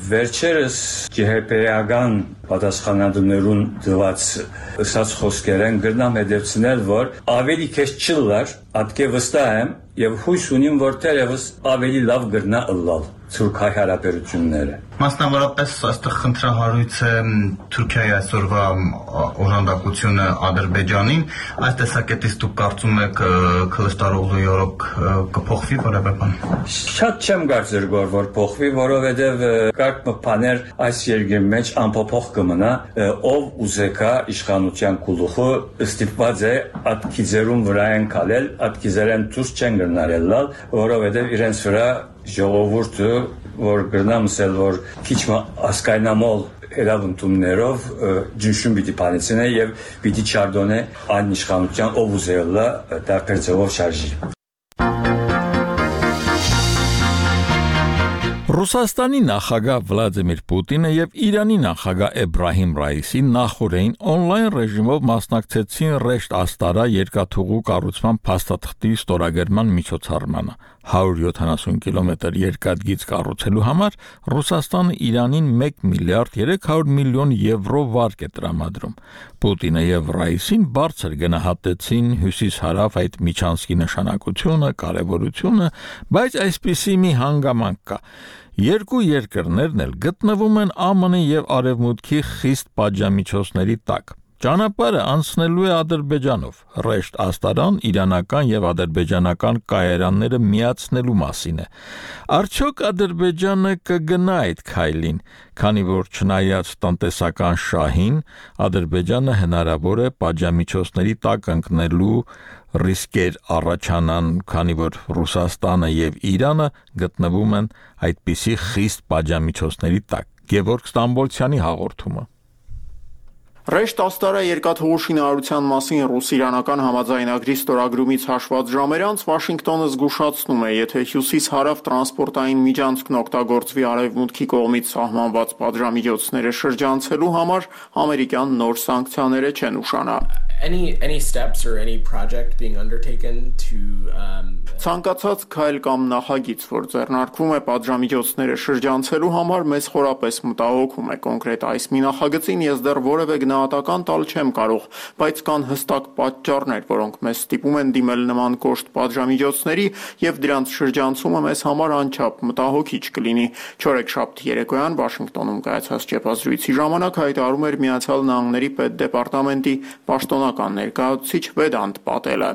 վերջերս ջեհեպեական պատասխանատուներուն դված ըսած խոսքերեն գրնամ հետևցնել, որ ավելի քեզ չլար, ատկե վստահ եմ եւ հույս ունիմ, որ թերևս ավելի լավ գրնա ըլլալ թուրք-հայ հարաբերությունները։ Մասնավորապես այստեղ խնդրահարույց է Թուրքիայի այսօրվա օժանդակությունը Ադրբեջանին, այս տեսակետից դուք կարծում եք Քլիչդալօղլուի օրոք կփոխվի որևէ բան։ Շատ չեմ կարծեր որ որ փոխվի, որովհետև կարկ բաներ այս երկրի մեջ անփոփոխ կմնա, ով ուզեկա իշխանության գլուխը ստիպված է այդ քիզերուն վրա են քալել, այդ քիզերեն դուրս չեն գնարելալ, որովհետև իրենց վրա ժողովուրդը որ գրնամսել որ քիչ ասկայնամոլ հերավնդումներով ջնշում պիտի պանեցնե եւ պիտի չարդոնե այն իշխանության ով ուզելա դարբեր ձևով շարժի։ Ռուսաստանի նախագահ Վլադիմիր Պուտինը եւ Իրանի նախագահ Էբրահիմ Ռայիսին նախորդին on-line ռեժիմով մասնակցեցին Ռեշտ Աստարա երկաթուղու կառուցման փաստաթղթի ստորագրման միջոցառմանը։ one hundred seventy կիլոմետր երկաթգիծ կառուցելու համար Ռուսաստանը Իրանին one միլիարդ three hundred միլիոն եվրո վարկ է տրամադրում։ Պուտինը եւ Ռայիսին բարձր գնահատեցին հյուսիս-հարավ այդ միջանցքի նշանակությունը, կարեւորությունը, բայց այսպիսի մի հանգամանք կա։ Երկու երկրներն էլ գտնվում են ԱՄՆ եւ Արևմուտքի խիստ պատժամիջոցների տակ։ Ճանապարհը անցնելու է Ադրբեջանով։ Ռեշտ Աստարան իրանական եւ ադրբեջանական կայարանները միացնելու մասին է։ Արդյոք Ադրբեջանը կգնա այդ քայլին, քանի որ չնայած տնտեսական շահին, Ադրբեջանը հնարավոր է պատժամիջոցների տակ ընկնելու ռիսկեր առաջանան, քանի որ Ռուսաստանը եւ Իրանը գտնվում են այդպիսի խիստ պատժամիջոցների տակ։ Գևորգ Ստամբոլցյանի հաղորդումը։ Ռեշտ Աստարա երկաթուղու շինարարության մասին ռուս-իրանական համաձայնագրի ստորագրումից հաշված ժամեր անց Վաշինգտոնը զգուշացնում է, եթե հյուսիս-հարավ տրանսպորտային միջանցքն օգտագործվի արևմուտքի կողմից սահմանված պատժամիջոցները շրջանցելու համար, ամերիկյան նոր սանկցիաները չեն ուշանա։ Any any steps or any project being undertaken to um Ցանկացած քայլ կամ նախագիծ, որ ձեռնարկվում է պատժամիջոցները շրջանցելու համար, մեզ խորապես մտահոգում է կոնկրետ այս մի նախագծին ես դեռ որևէ գնահատական տալ չեմ կարող, բայց կան հստակ պատճառներ, որոնք մեզ ստիպում են դիմել նման կոշտ պատժամիջոցների եւ դրանց շրջանցումը մեզ համար անչափ մտահոգիչ կլինի։ Չորեքշաբթի երեկոյան Վաշինգտոնում կայացած ճեպազրույցի ժամանակ հայտարարում էր Միացյալ Նահանգների պետդեպարտամենտի պաշտոնական ներկայացուցիչ Վեդանտ Պատելը։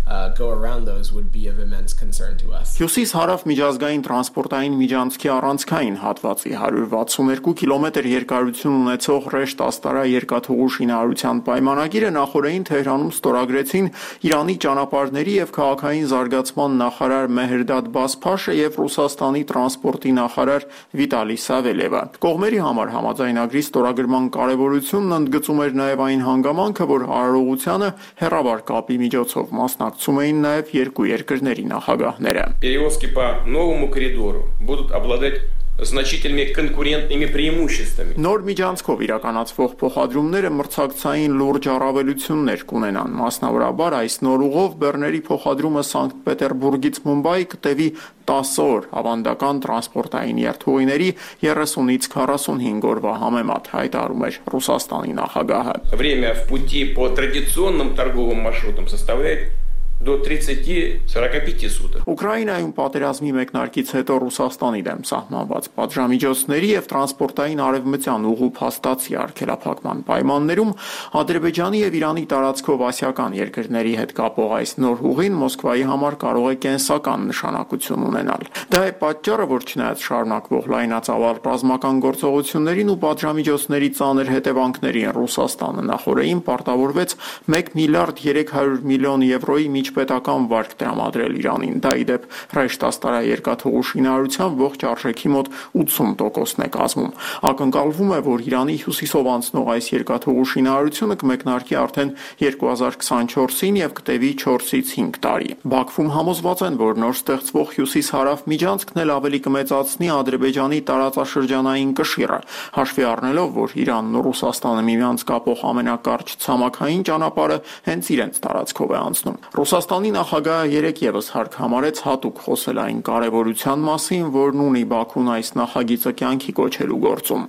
Uh, go around those would be of immense concern to us. Հյուսիս-հարավ միջազգային տրանսպորտային միջանցքի առանցքային հատվածի one hundred sixty-two կիլոմետր երկարություն ունեցող Ռեշտ Աստարա երկաթուղու շինարարության պայմանագիրը նախորդին Թեհրանում ստորագրեցին Իրանի ճանապարհների եւ քաղաքային զարգացման նախարար Մեհրդադ Բասփաշը եւ Ռուսաստանի տրանսպորտի նախարար Վիտալի Սավելևը։ Կողմերի համար համաձայնագրի ստորագրման կարեւորությունն ընդգծում էր նաեւ այն հանգամանքը, որ արարողությանը հեռավար կապի միջոցով մասնակցում էին նաև երկու երկրների նախագահները։ Перевозки по новому коридору будут обладать значительными конкурентными преимуществами. Նոր միջանցքով իրականացվող փոխադրումները մրցակցային լուրջ առավելություններ կունենան։ Մասնավորաբար այս նոր ուղով բեռների փոխադրումը Սանկտ Պետերբուրգից Մումբայի կտևի տասը օր, ավանդական տրանսպորտային երթուղիների երեսունից քառասունհինգ օրվա համեմատ, հայտարարում էր Ռուսաստանի նախագահը։ Время в пути по традиционным торговым маршрутам составляет до тридцати сорока пяти суток. Ուկրաինայում պատերազմի մեկնարկից հետո Ռուսաստանի դեմ սահմանված պատժամիջոցների եւ տրանսպորտային արևմտյան ուղու փաստացի արգելափակման պայմաններում Ադրբեջանի եւ Իրանի տարածքով ասիական երկրների հետ կապող այս նոր ուղին Մոսկվայի համար կարող է կենսական նշանակություն ունենալ։ Դա է պատճառը, որ չնայած շարունակվող լայնածավալ ռազմական գործողություններին ու պատժամիջոցների ծանր հետևանքներին Ռուսաստանը նախորդին պարտավորվեց մեկ միլիարդ երեք հարյուր միլիոն եվրոյի պետական վարկ տրամադրել Իրանին, դա ի դեպ հրեշտաստարա երկաթուղու շինարարության ողջ արժեքի մոտ ութսուն տոկոսն է կազմում։ Ակնկալվում է, որ Իրանի հյուսիսով անցնող այս երկաթուղու շինարարությունը կմեկնարկի արդեն երկու հազար քսանչորսին եւ կտևի չորսից հինգ տարի։ Բաքվում համոզված են, որ նոր ստեղծվող հյուսիս-հարավ միջանցքն էլ ավելի կմեծացնի Ադրբեջանի տարածաշրջանային կշիռը, հաշվի առնելով, որ Իրանն ու Ռուսաստանը միմյանց կապող ամենակարճ ցամաքային ճանապարհը հենց իրենց տարածքով է անցնում։ Ռուսաստանի նախագահը երեկ եւս հարկ համարեց հատուկ խոսել այն կարևորության մասին, որն ունի Բաքուն այս նախագիծը կյանքի կոչելու գործում։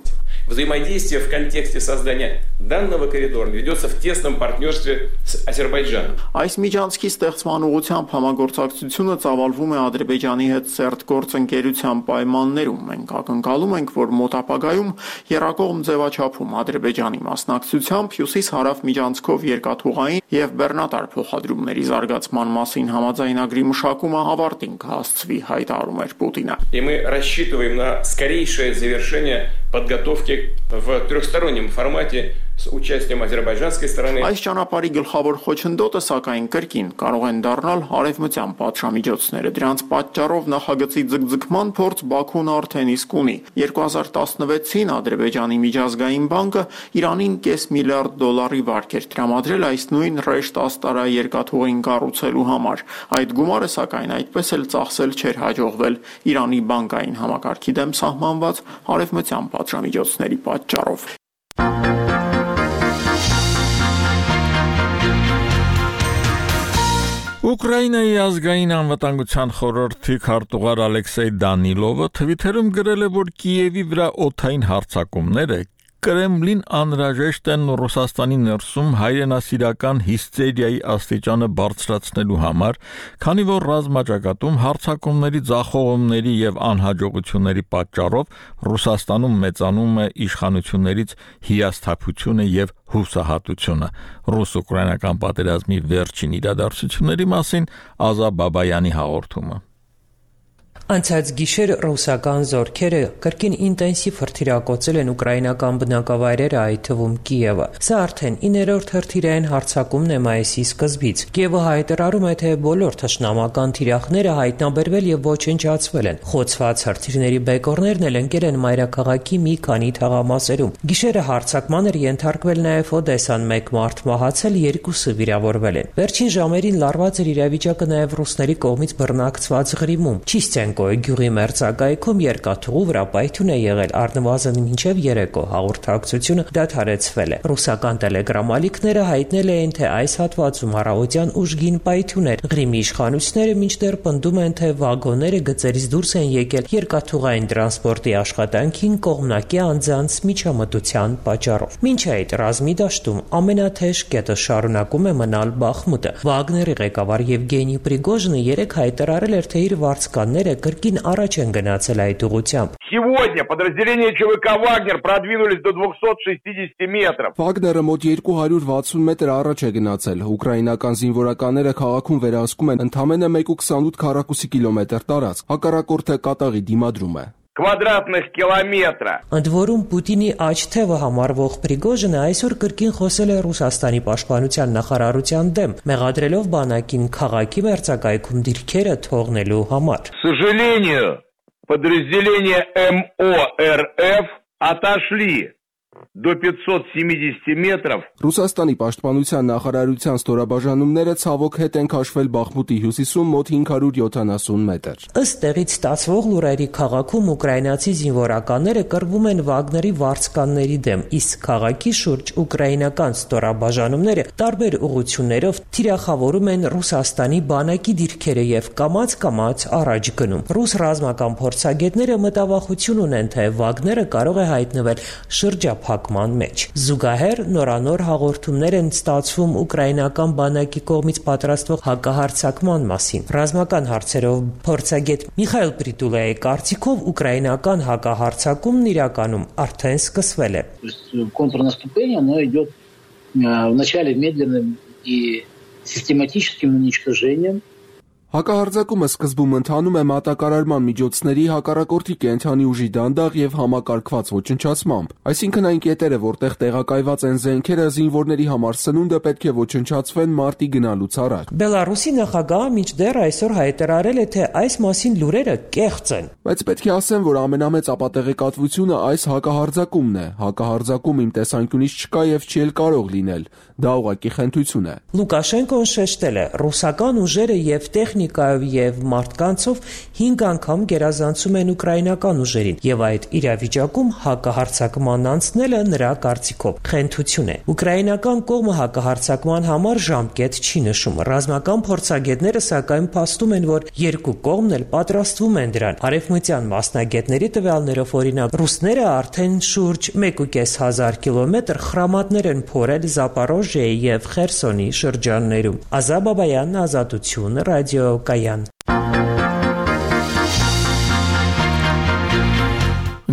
Взаимодействие в контексте создания данного коридора ведется в тесном партнерстве с Азербайджаном. Այս միջանցքի ստեղծման ուղղությամբ համագործակցությունը ծավալվում է Ադրբեջանի հետ սերտ գործընկերության պայմաններում։ Մենք ակնկալում ենք, որ մոտ ապագայում եռակողմ ձևաչափում Ադրբեջանի մասնակցությամբ հյուսիս-հարավ միջանցքով երկաթուղային եւ բեռնատար փոխադրումների զարգացման մասին համաձայնագրի մշակումը ավարտին կհասցվի, հայտարարում էր Պուտինը։ И мы рассчитываем на скорейшее завершение подготовки в трехстороннем формате с участием азербайджанской стороны. Այս ճանապարհի գլխավոր խոչընդոտը սակայն կրկին կարող են դառնալ արևմտյան պատժամիջոցները։ Դրանց պատճառով նախագծի ձգձգման փորձ Բաքուն արդեն իսկ ունի։ երկու հազար տասնվեցին Ադրբեջանի միջազգային բանկը Իրանին կես միլիարդ դոլարի վարկ էր տրամադրել այս նույն Ռեշտ-Աստարա երկաթուղին կառուցելու համար։ Այդ գումարը սակայն այդպես էլ ծախսել չէր հաջողվել Իրանի բանկային համակարգի դեմ սահմանված արևմտյան պատժամիջոցների պատճառով։ Ուկրաինայի ազգային անվտանգության խորհրդի քարտուղար Ալեքսեյ Դանիլովը Թվիթերում գրել է, որ Կիևի վրա օդային հարձակումները Կրեմլին անհրաժեշտ են Ռուսաստանի ներսում հայրենասիրական հիստերիայի աստիճանը բարձրացնելու համար, քանի որ ռազմաճակատում հարձակումների ձախողումների եւ անհաջողությունների պատճառով Ռուսաստանում մեծանում է իշխանություններից հիասթափությունը եւ հուսահատությունը։ Ռուս-ուկրաինական պատերազմի վերջին իրադարձությունների մասին Ազա Բաբայանի հաղորդումը։ Անցած գիշեր ռուսական զորքերը կրկին ինտենսիվ հրթիռակոծել են ուկրաինական բնակավայրերը, այդ թվում Կիևը։ Սա արդեն իններորդ հրթիռային հարձակումն է մայիսի սկզբից։ Կիևը հայտարարում է, թե բոլոր թշնամական թիրախները հայտնաբերվել եւ ոչնչացվել են։ Խոցված հրթիռների բեկորներն էլ ընկել են մայրաքաղաքի մի քանի թաղամասերում։ Գիշերը հարձակման էր ենթարկվել նաեւ Օդեսան, մեկ մարդ մահացել, երկուսը վիրավորվել են։ Վերջին ժամերին լարված էր իրավիճակը նաեւ ռուսների կողմից բռնակցված Ղրիմում։ Չիստենկո գյուղի մերձակայքում երկաթուղու վրա պայթյուն է եղել, առնվազն մինչև երեկո հաղորդակցությունը դադարեցվել է։ Ռուսական տելեգրամալիքները հայտնել էին, թե այս հատվածում առավոտյան ուժգին պայթյուն էր։ Ղրիմի իշխանությունները մինչդեռ պնդում են, թե վագոնները գծերից դուրս են եկել երկաթուղային տրանսպորտի աշխատանքին կողմնակի անձանց միջամտության պատճառով։ Մինչ այդ ռազմի դաշտում ամենաթեժ կետը շարունակում է մնալ Բախմուտը։ Վագների ղեկավար Եվգենի Պրիգոժինը երեկ հայտարարել էր, թե իր վարձկանները կրկին առաջ են գնացել այդ ուղղությամբ։ Сегодня подразделения ЧВК Вагнер продвинулись до двухсот шестидесяти метров. Վագները մոտ երկու հարյուր վաթսուն մետր առաջ է գնացել։ Ուկրաինական զինվորականները քաղաքում վերահսկում են ընդամենը մեկ կόμμα ութ քառակուսի կիլոմետր տարածք։ Հակառակորդը կատաղի դիմադրում է։ Квадратных կիլոմետրա։ Ընդ որում Պուտինի աջ թևը համարվող Պրիգոժինը այսօր կրկին խոսել է Ռուսաստանի պաշտպանության նախարարության դեմ, մեղադրելով բանակին քաղաքի մերձակայքում դիրքերը թողնելու համար։ К сожалению, подразделения эм о эр эф отошли до пятьсот семидесяти метров. Ռուսաստանի պաշտպանության նախարարության ստորաբաժանումները ցավոք հետ են քաշվել Բախմուտի հյուսիսում մոտ հինգ հարյուր յոթանասուն մետր։ Ըստ տեղից ստացվող լուրերի քաղաքում ուկրաինացի զինվորականները կռվում են Վագների վարձկանների դեմ, իսկ քաղաքի շուրջ ուկրաինական ստորաբաժանումները տարբեր ուղղություններով թիրախավորում են Ռուսաստանի բանակի դիրքերը եւ կամաց-կամաց առաջ գնում։ Ռուս ռազմական փորձագետները մտավախություն ունեն, թե Վագները կարող է հայտնվել շրջափակման մեջ։ Զուգահեռ նորանոր հաղորդումներ են ստացվում ուկրաինական բանակի կողմից պատրաստվող հակահարձակման մասին։ Ռազմական հարցերով փորձագետ Միխայել Պրիտուլայի կարծիքով ուկրաինական հակահարձակումն իրականում արդեն սկսվել է։ Контрнаступление, оно идет вначале медленным и систематическим уничтожением. Հակահարձակումը սկզբում ընթանում է մատակարարման միջոցների հակառակորդի կենթանի ուժի դանդաղ եւ համակարգված ոչնչացմամբ, այսինքն այն կետերը, որտեղ տեղակայված են զենքերը, զինվորների համար սնունդը պետք է ոչնչացվեն մարտի գնալուց առաջ։ Բելարուսի նախագահը մինչդեռ այսօր հայտարարել է, թե այս մասին լուրերը կեղծ են։ Բայց պետք է ասեմ, որ ամենամեծ ապատեղեկատվությունը այս հակահարձակումն է։ Հակահարձակում իմ տեսանկյունից չկա եւ չի էլ կարող լինել։ Դա ուղղակի խնդություն է։ Լուկաշենկոն շեշտել է, ռուսական ուժերը եւ տեխնիկայով եւ մարդկանցով հինգ անգամ գերազանցում են ուկրաինական ուժերին եւ այդ իրավիճակում հակահարձակման անցնելը նրա կարծիքով խնդություն է։ Ուկրաինական կողմը հակահարձակման համար ժամկետ չի նշում։ Ռազմական փորձագետները սակայն փաստում են, որ երկու կողմն էլ պատրաստվում են դրան։ Արևմտյան մասնագետների տվյալներով օրինակ ռուսները արդեն շուրջ մեկ ու կես հազար կիլոմետր խրամատներ են փորել Զապորոժիայի եւ Խերսոնի շրջաններում։ Ազա Բաբայան, Ազատություն, ռադիոկայան։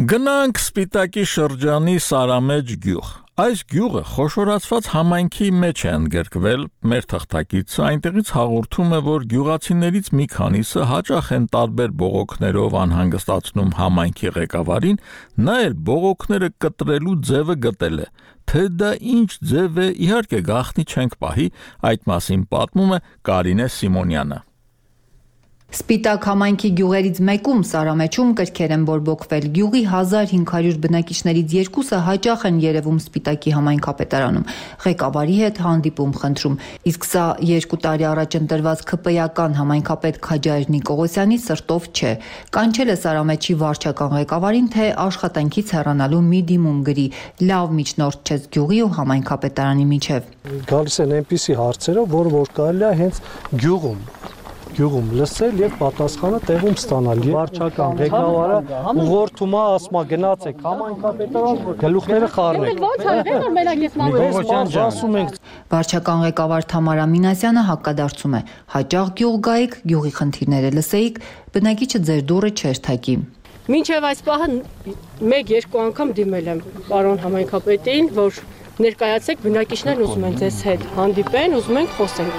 Գնանք Սպիտակի շրջանի Սարամեջ գյուղ։ Այս գյուղը խոշորացված համայնքի մեջ է ընդգրկվել մեր թղթակիցը, այնտեղից հաղորդում է, որ գյուղացիներից մի քանիսը հաճախ են տարբեր բողոքներով անհանգստացնում համայնքի ղեկավարին, նա էլ բողոքները կտրելու ձևը գտել է։ Թե դա ինչ ձև է, իհարկե գաղտնի չենք պահի, այդ մասին պատմում է Կարինե Սիմոնյանը։ Սպիտակ համայնքի գյուղերից մեկում Սարամեջում կրքեր են բորբոքվել։ Գյուղի հազար հինգ հարյուր բնակիչներից երկուսը հաճախ են երևում Սպիտակի համայնքապետարանում։ Ղեկավարի հետ հանդիպում խնդրում։ Իսկ սա երկու տարի առաջ ընտրված ՔՊ-ական համայնքապետ Քաջայր Նիկողոսյանի սրտով չէ։ Կանչել է Սարամեջի վարչական ղեկավարին, թե աշխատանքից հեռանալու մի դիմում գրի։ Լավ միջնորդ չես գյուղի ու համայնքապետարանի միջև։ Գալիս են այնպիսի հարցերով, որ որ կարելի է հենց գյուղում գյուղում լսել եւ պատասխանը տեղում ստանալ։ Վարչական ղեկավարը ուղղորդում է, ասում է գնացեք համայնքապետարան, գլուխները խառնեք։ Վարչական ղեկավար Թամարա Մինասյանը հակադարձում է. հաճախ գյուղ գայիք, գյուղի խնդիրները լսեիք, բնակիչը ձեր դուռը չէր թակի։ Մինչև այս պահը մեկ-երկու անգամ դիմել եմ պարոն համայնքապետին, որ ներկայացեք, բնակիչներն ուզում են ձեզ հետ հանդիպեն, ուզում են խոսենք։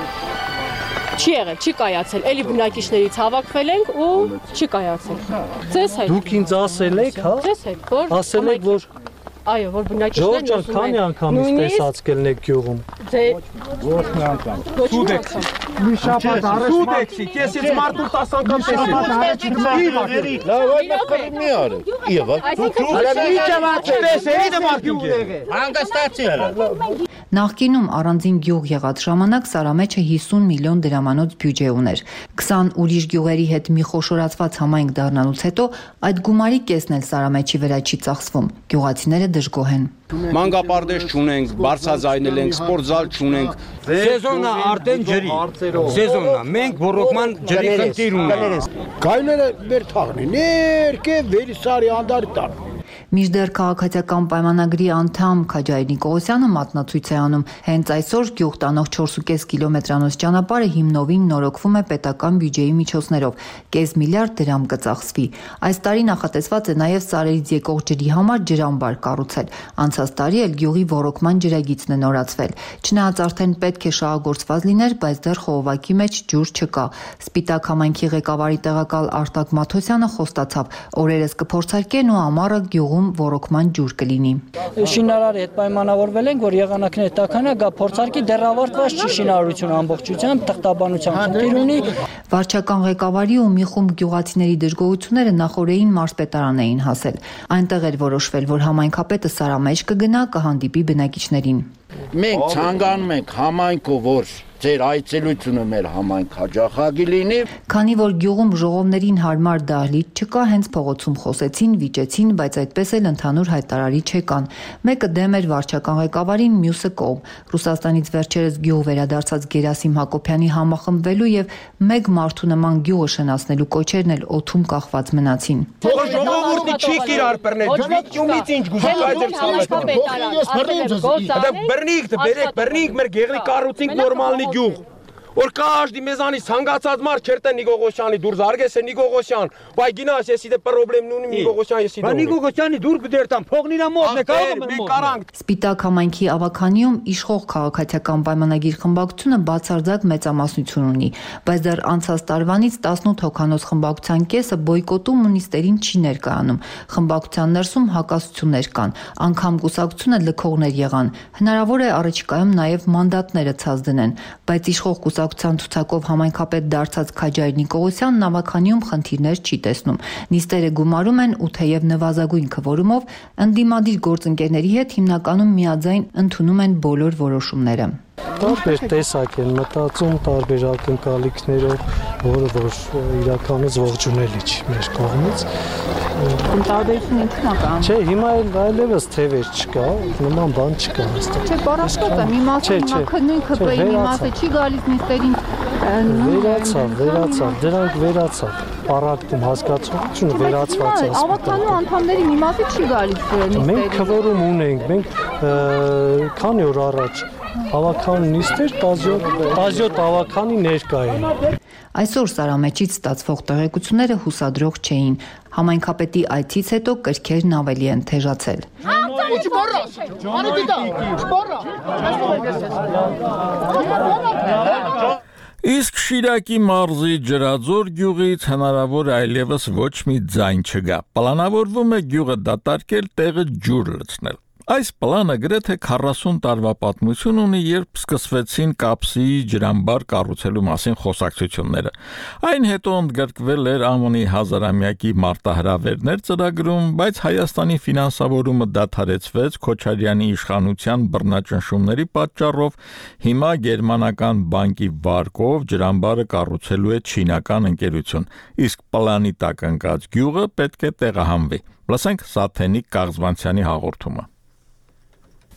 Չի եղել, չի կայացել, էլի բնակիչներից հավաքվել ենք ու չի կայացել։ Ձեզ հետ։ Դուք ինձ ասել եք, հա? Ձեզ հետ, որ ասել եք, որ այո, որ բնակիչներն ուզում են։ Քանի անգամից տեսած կլնեք գյուղում։ Դե ոչ մի անգամ։ Սուտ եք։ Մի շաբաթ առաջ Սուտ եք, քեսից մարդու տասը անգամ տեսել։ Լավ, այդ մտքով մի արի։ Եվ Այսինքն Նախկինում առանձին գյուղ եղած ժամանակ Սարամեջը հիսուն միլիոն դրամանոց բյուջե ուներ։ քսան ուրիշ գյուղերի հետ մի խոշորացված համայնք դառնալուց հետո այդ գումարի կեսն էլ Սարամեջի վրա չի ծախսվում։ Գյուղացիները դժգոհ են։ Մանկապարտեզ չունենք, բարձրաձայնել ենք, սպորտզալ չունենք։ Սեզոնը արդեն ջրի։ Սեզոնը մենք ռոռոկման ջրի խնդիր ունենք։ Գայլերը մեր թաղնի, ներքե վերիսարի անդարի տան։ Մինչդեռ քաղաքացիական պայմանագրի անդամ Քաջայր Նիկողոսյանը մատնացույց է անում։ Հենց այսօր գյուղ տանող չորս ու կես կիլոմետրանոց ճանապարհը հիմնովին նորոգվում է պետական բյուջեի միջոցներով։ Կես միլիարդ դրամ կծախսվի։ Այս տարի նախատեսված է նաև Սարերից եկող ջրի համար ջրամբար կառուցել։ Անցած տարի էլ գյուղի ոռոգման ջրագիծն է նորացվել։ Չնայած արդեն պետք է շահագործված լիներ, բայց դեռ խողովակի մեջ ջուր չկա։ Սպիտակ համայնքի ղեկավարի տեղակալ Արտակ Մաթոսյանը խոստացավ, օրերս կփորձարկեն ու ամառը գյուղում գյուղում ոռոգման ջուր կլինի։ Շինարարի հետ պայմանավորվել ենք, որ եղանակները տաքանա, գա փորձարկի դեռ ավարտված չի շինարարությունը ամբողջությամբ, թղթաբանության խնդիր ունի։ Վարչական ղեկավարի ու մի խումբ գյուղացիների դժգոհությունները նախորդին մարզպետարան էին հասել։ Այնտեղ էր որոշվել, որ համայնքապետը Սարամեջ կգնա, կհանդիպի բնակիչներին։ Մենք ցանկանում ենք համայնքով, որ ձեր այցելությունը մեր համայնք հաջողակի լինի։ Քանի որ գյուղում ժողովներին հարմար դահլիճ չկա, հենց փողոցում խոսեցին, վիճեցին, բայց այդպես էլ ընդհանուր հայտարարիչ չեկան։ Մեկը դեմ էր վարչական ղեկավարին, մյուսը կողմ։ Ռուսաստանից վերջերս գյուղ վերադարձած Գերասիմ Հակոբյանի համախմբվելու եւ մեկ մարդու նման գյուղը շնացնելու կոչերն էլ օդում կախված մնացին։ Թող ժողովուրդը չի կիրար բռնել, ջումից ինչ գուզում այդեր ցավը։ Բռնիկ, բերեք, բռնիկ, մեր գեղի կառուցինք նորմալնի գյուղ։ Որ каждый մեզանից հանգացած մարդ չերտե Նիգողոսյանի դուր զարգես է Նիգողոսյան, բայ գինաս եսի դե պրոբլեմ ունի Նիգողոսյան եսի դե։ Նիգողոսյանի դուր գդերտամ, փողն իրա մոտ է, կարող եմ կարանք։ Սպիտակ համայնքի ավականիում իշխող քաղաքացիական պայմանագիր խմբակցությունը բացարձակ մեծամասնություն ունի, բայց դեռ անցած տարվանից տասնութ հոգանոց խմբակցության կեսը բոյկոտում ու նիստերին չի ներկայանում։ Խմբակցության ներսում հակասություններ կան, անգամ կուսակցությունը լքողներ եղան։ Հնարավոր է առաջիկայում նաև մանդատները ցած դնեն, բայց իշխող կուսակցության ցուցակով համայնքապետ դարձած Քաջայր Նիկողոսյանն ավականիում խնդիրներ չի տեսնում։ Նիստերը գումարում են ու թեև նվազագույն քվորումով ընդդիմադիր գործընկերների հետ հիմնականում միաձայն ընդունում են բոլոր որոշումները։ Տարբեր տեսակ են մտածում, տարբեր ակնկալիքներով, որը որ իրականից ողջունելի չի մեր կողմից։ Տարբերություն ինքնական։ Չէ, հիմա էլ այլևս թևեր չկա, նման բան չկա հստակ։ Չէ, բառաշկոտ է, մի մասը հիմա քննույն ՔՊ-ի, մի մասը չի գալիս նիստերին։ Վերացավ, վերացավ, դրանք վերացավ։ Պարակտում հասկացությունը վերացված է։ Ավականու անդամների մի մասը չի գալիս նիստերին։ Մենք քվորում ունենք, մենք քանի օր առաջ ավական նիստեր տասնյոթ ավականի ներկա էին։ Այսօր Սարամեջից ստացվող տեղեկությունները հուսադրող չէին։ Համայնքապետի այցից հետո կրքերն ավելի են թեժացել։ Իսկ Շիրակի մարզի Ջրաձոր գյուղից հնարավոր այլևս ոչ մի ձայն չգա։ Պլանավորվում է գյուղը դատարկել, տեղը ջուր լցնել։ Այս պլանը գրեթե քառասուն տարվա պատմություն ունի, երբ սկսվեցին կապսի ջրամբար կառուցելու մասին խոսակցությունները։ Այն հետո ընդգրկվել էր ԱՄՆ-ի հազարամյակի մարտահրավերներ ծրագրում, բայց Հայաստանի ֆինանսավորումը դադարեցվեց Քոչարյանի իշխանության բռնաճնշումների պատճառով։ Հիմա գերմանական բանկի վարկով ջրամբարը կառուցելու է չինական ընկերություն, իսկ պլանի տակ ընկած գյուղը պետք է տեղահանվի։ Լսենք Սաթենիկ Կաղզվանցյանի հաղորդումը։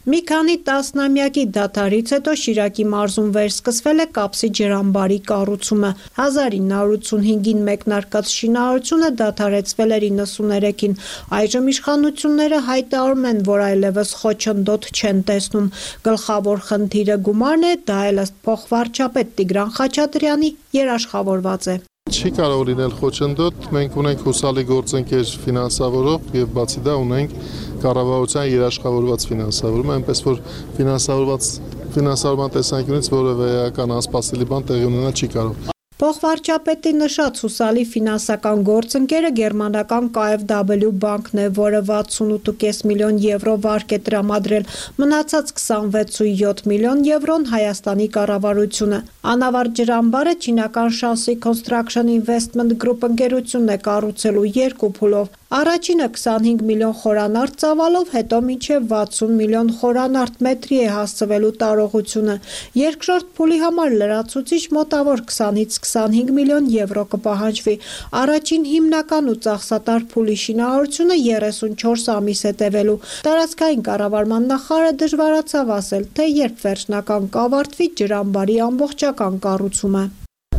Մի քանի տասնամյակի դադարից հետո Շիրակի մարզում վերսկսվել է կապսի ջրամբարի կառուցումը։ հազար ինը հարյուր ութսունհինգին մեկնարկած շինարարությունը դադարեցվել էր իննսուներեքին։ Այժմ իշխանությունները հայտարարում են, որ այլևս խոչընդոտ չեն տեսնում։ Գլխավոր խնդիրը գումարն է, դա էլ ըստ փոխվարչապետ Տիգրան Խաչատրյանի երաշխավորված է։ Չի կարող լինել խոչընդոտ, մենք ունենք հուսալի գործընկեր ֆինանսավորող եւ բացի դա ունենք կառավարության երաշխավորված ֆինանսավորում, այնպես որ ֆինանսավորված ֆինանսավորման տեսանկյունից որևէ էական անսպասելի բան տեղի ունենալ չի կարող։ Փոխվարչապետի նշած հուսալի ֆինանսական գործընկերը գերմանական K F W բանկն է, որը վաթսունութ կόμμα պենս միլիոն եվրո վարկ է տրամադրել, մնացած քսանվեց կόμμα յոթ միլիոն եվրոն Հայաստանի կառավարությունը։ Անավարտ ջրամբարը չինական Shanxi Construction Investment Group ընկերությունն է կառուցելու երկու փուլով։ Առաջինը քսանհինգ միլիոն խորանարդ ծավալով, հետո մինչև վաթսուն միլիոն խորանարդ մետրի է հասցվելու տարողությունը։ Երկրորդ փուլի համար լրացուցիչ մոտավոր քսանից քսանհինգ միլիոն եվրո կպահանջվի։ Առաջին հիմնական ու ծախսատար փուլի շինարարությունը երեսունչորս ամիս է տևելու։ Տարածքային կառավարման նախարարը դժվարացավ ասել, թե երբ վերջնական կավարտվի ջրամբարի ամբողջական կառուցումը։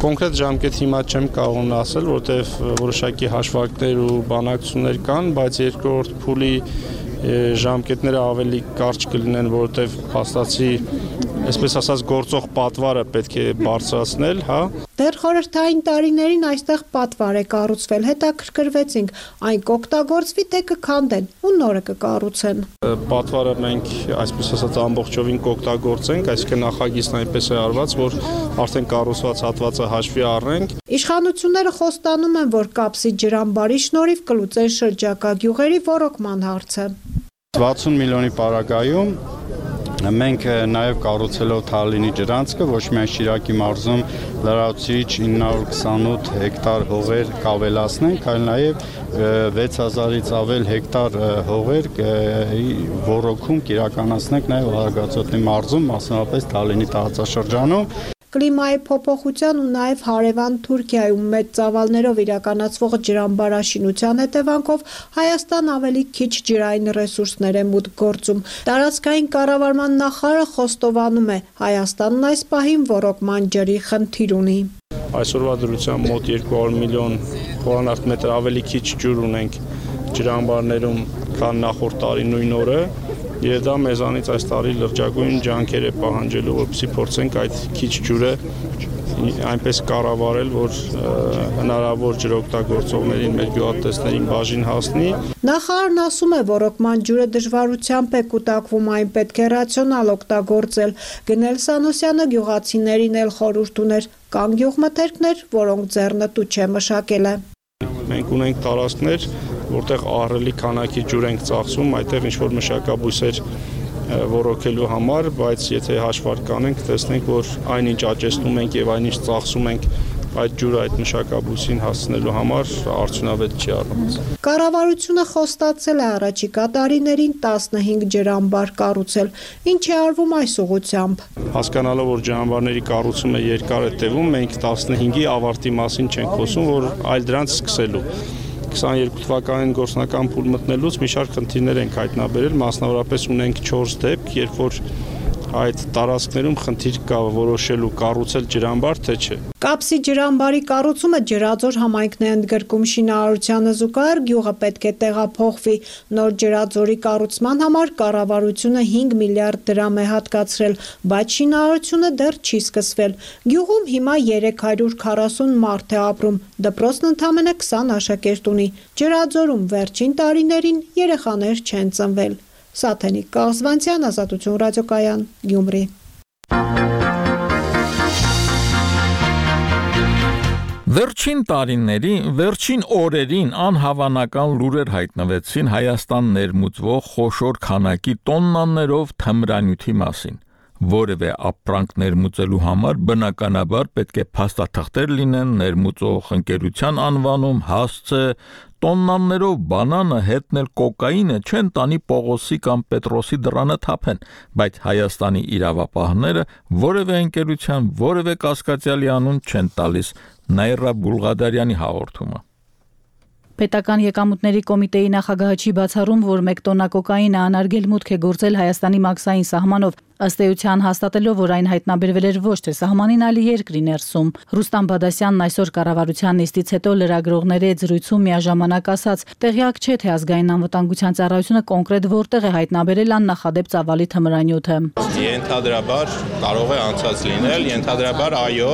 Կոնկրետ ժամկետ հիմա չեմ կարող ասել, որտեղ որոշակի հաշվարկներ ու բանակցություններ կան, բայց երկրորդ փուլի ժամկետները ավելի կարճ կլինեն, որտեղ փաստացի, այսպես ասած, գործող պատվարը պետք է բարձրացնել, հա։ Դեռ խորհրդային տարիներին այստեղ պատվար է կառուցվել, հետաքրքրվեցինք, այն կօգտագործվի, թե կքանդեն ու նորը կկառուցեն։ Պատվարը մենք այսպես ասած ամբողջովին կօգտագործենք, այսինքն նախագիծն այնպես է արված, որ արդեն կառուցված հատվածը հաշվի առնենք։ Իշխանությունները խոստանում են, որ կապսի ջրամբարի շնորհիվ կլուծեն շրջակա գյուղերի ոռոգման հարցը։ վաթսուն միլիոնի պարագայում մենք նաև կառուցելով Թալինի ջրանցքը ոչ միայն Շիրակի մարզում լրացուցիչ ինը հարյուր քսանութ հեկտար հողեր կավելացնենք, այլ նաև վեց հազարից ավել հեկտար հողեր ոռոգում կիրականացնենք նաև Արագածոտնի մարզում, մասնավորապես Թալինի տարածաշրջանում։ Կլիմայի փոփոխության ու նաև հարևան Թուրքիայում մեծ ծավալներով իրականացվող ջրամբարաշինության հետևանքով Հայաստան ավելի քիչ ջրային ռեսուրսներ է մուտք գործում։ Տարածքային կառավարման նախարարը խոստովանում է, Հայաստանն այս պահին ոռոգման ջրի խնդիր ունի։ Այսօրվա դրությամբ մոտ երկու հարյուր միլիոն խորանարդ մետր ավելի քիչ ջուր ունենք ջրամբարներում, քան նախորդ տարի նույն օրը։ Եվ դա մեզանից այս տարի լրջագույն ջանքեր է պահանջելու, որպեսզի փորձենք այդ քիչ ջուրը այնպես կառավարել, որ հնարավոր ջրօգտագործողներին, մեր գյուղատնտեսներին բաժին հասնի։ Նախարարն ասում է, ոռոգման ջուրը դժվարությամբ է կուտակվում, այն պետք է ռացիոնալ օգտագործել։ Գնել Սանոսյանը գյուղացիներին էլ խորհուրդ ուներ, կան գյուղմթերքներ, որոնք ձեռնտու չէ մշակելը։ Մենք ունենք տարածքներ, որտեղ ահռելի քանակի ջուր ենք ծախսում, այդտեղ ինչ-որ մշակաբույսեր ոռոգելու համար, բայց եթե հաշվարկ կանենք, տեսնենք, որ այնինչ աճեցնում ենք եւ այնինչ ծախսում ենք այդ ջուրը այդ մշակաբույսին հասցնելու համար արդյունավետ չի առնված։ Կառավարությունը խոստացել է առաջիկա տարիներին տասնհինգ ջրամբար կառուցել, ինչ է արվում այս ուղղությամբ։ Հասկանալով, որ ջրամբարների կառուցումը երկար է տևում, մենք տասնհինգի ավարտի մասին չենք խոսում, որ այլ դրանց սկսելու։ քսաներկու թվականին գործնական փուլ մտնելուց մի շարք խնդիրներ ենք հայտնաբերել, մասնավորապես ունենք չորս դեպք, երբ որ այդ տարածքներում խնդիր կա որոշելու կառուցել ջրամբար, թե չէ։ Կապսի ջրամբարի կառուցումը ջրաձոր համայնքն է ընդգրկում շինարարությանը զուգահեռ գյուղը պետք է տեղափոխվի։ Նոր ջրաձորի կառուցման համար կառավարությունը հինգ միլիարդ դրամ է հատկացրել, բայց շինարարությունը դեռ չի սկսվել։ Գյուղում հիմա երեք հարյուր քառասուն մարդ է ապրում, դպրոցն ընդամենը քսան աշակերտ ունի։ Ջրաձորում վերջին տարիներին երեխաներ չեն ծնվել։ Սաթենիկ Կաղզվանցյան, Ազատություն ռադիոկայան, Գյումրի։ Վերջին տարիների, վերջին օրերին անհավանական լուրեր հայտնվեցին Հայաստան ներմուծվող խոշոր քանակի տոննաներով թմրանյութի մասին։ Որևէ ապրանք ներմուծելու համար բնականաբար պետք է փաստաթղթեր լինեն, ներմուծող ընկերության անվանում, հասցե, տոննաներով բանանը հետնել կոկաինը չեն տանի Պողոսի կամ Պետրոսի դռանը թափեն, բայց Հայաստանի իրավապահները որևէ ընկերության, որևէ կասկածյալի անուն չեն տալիս։ Նաիրա Բուլղադարյանի հաղորդումը։ Պետական եկամուտների կոմիտեի նախագահը չի բացառում, որ մեկ տոննա կոկաինը անարգել մուտք է գործել Հայաստանի մաքսային սահմանով, ըստ էության հաստատելով, որ այն հայտնաբերվել էր ոչ թե սահմանին, այլ երկրի ներսում։ Ռուստամ Բադասյանն այսօր կառավարության նիստից հետո լրագրողների հետ զրույցում միաժամանակ ասաց, տեղյակ չէ, թե ազգային անվտանգության ծառայությունը կոնկրետ որտեղ է հայտնաբերել աննախադեպ ծավալի թմրանյութը։ Ենթադրաբար կարող է անցած լինել, ենթադրաբար այո,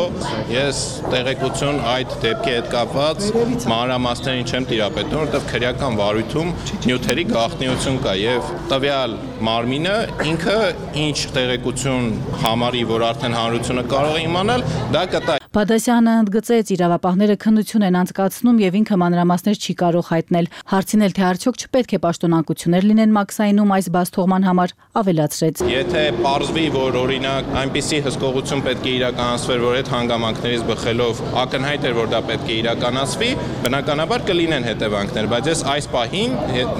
ես տեղեկություն այդ դեպքի հետ կապված մանրամասներին չեմ տիրապետում, որովհետև քրեական վարույթում նյութերի գաղտնիություն կա եւ տվյալ մարմինը ինքը ինչ տեղեկություն համարի, որ արդեն հանրությունը կարող է իմանալ, դա կտա։ Բադասյանը ընդգծեց, իրավապահները քննություն են անցկացնում եւ ինքը մանրամասներ չի կարող հայտնել։ Հարցին թե արդյոք չպետք է պաշտոնակություններ լինեն մաքսայինում այս բացթողման համար, ավելացրեց։ Եթե պարզվի, որ օրինակ այնպիսի հսկողություն պետք է իրականացվեր, որ այդ հանգամանքներից բխելով ակնհայտ էր, որ դա պետք է իրականացվի, բնականաբար կլինեն հետևանքներ, բայց ես այս պահին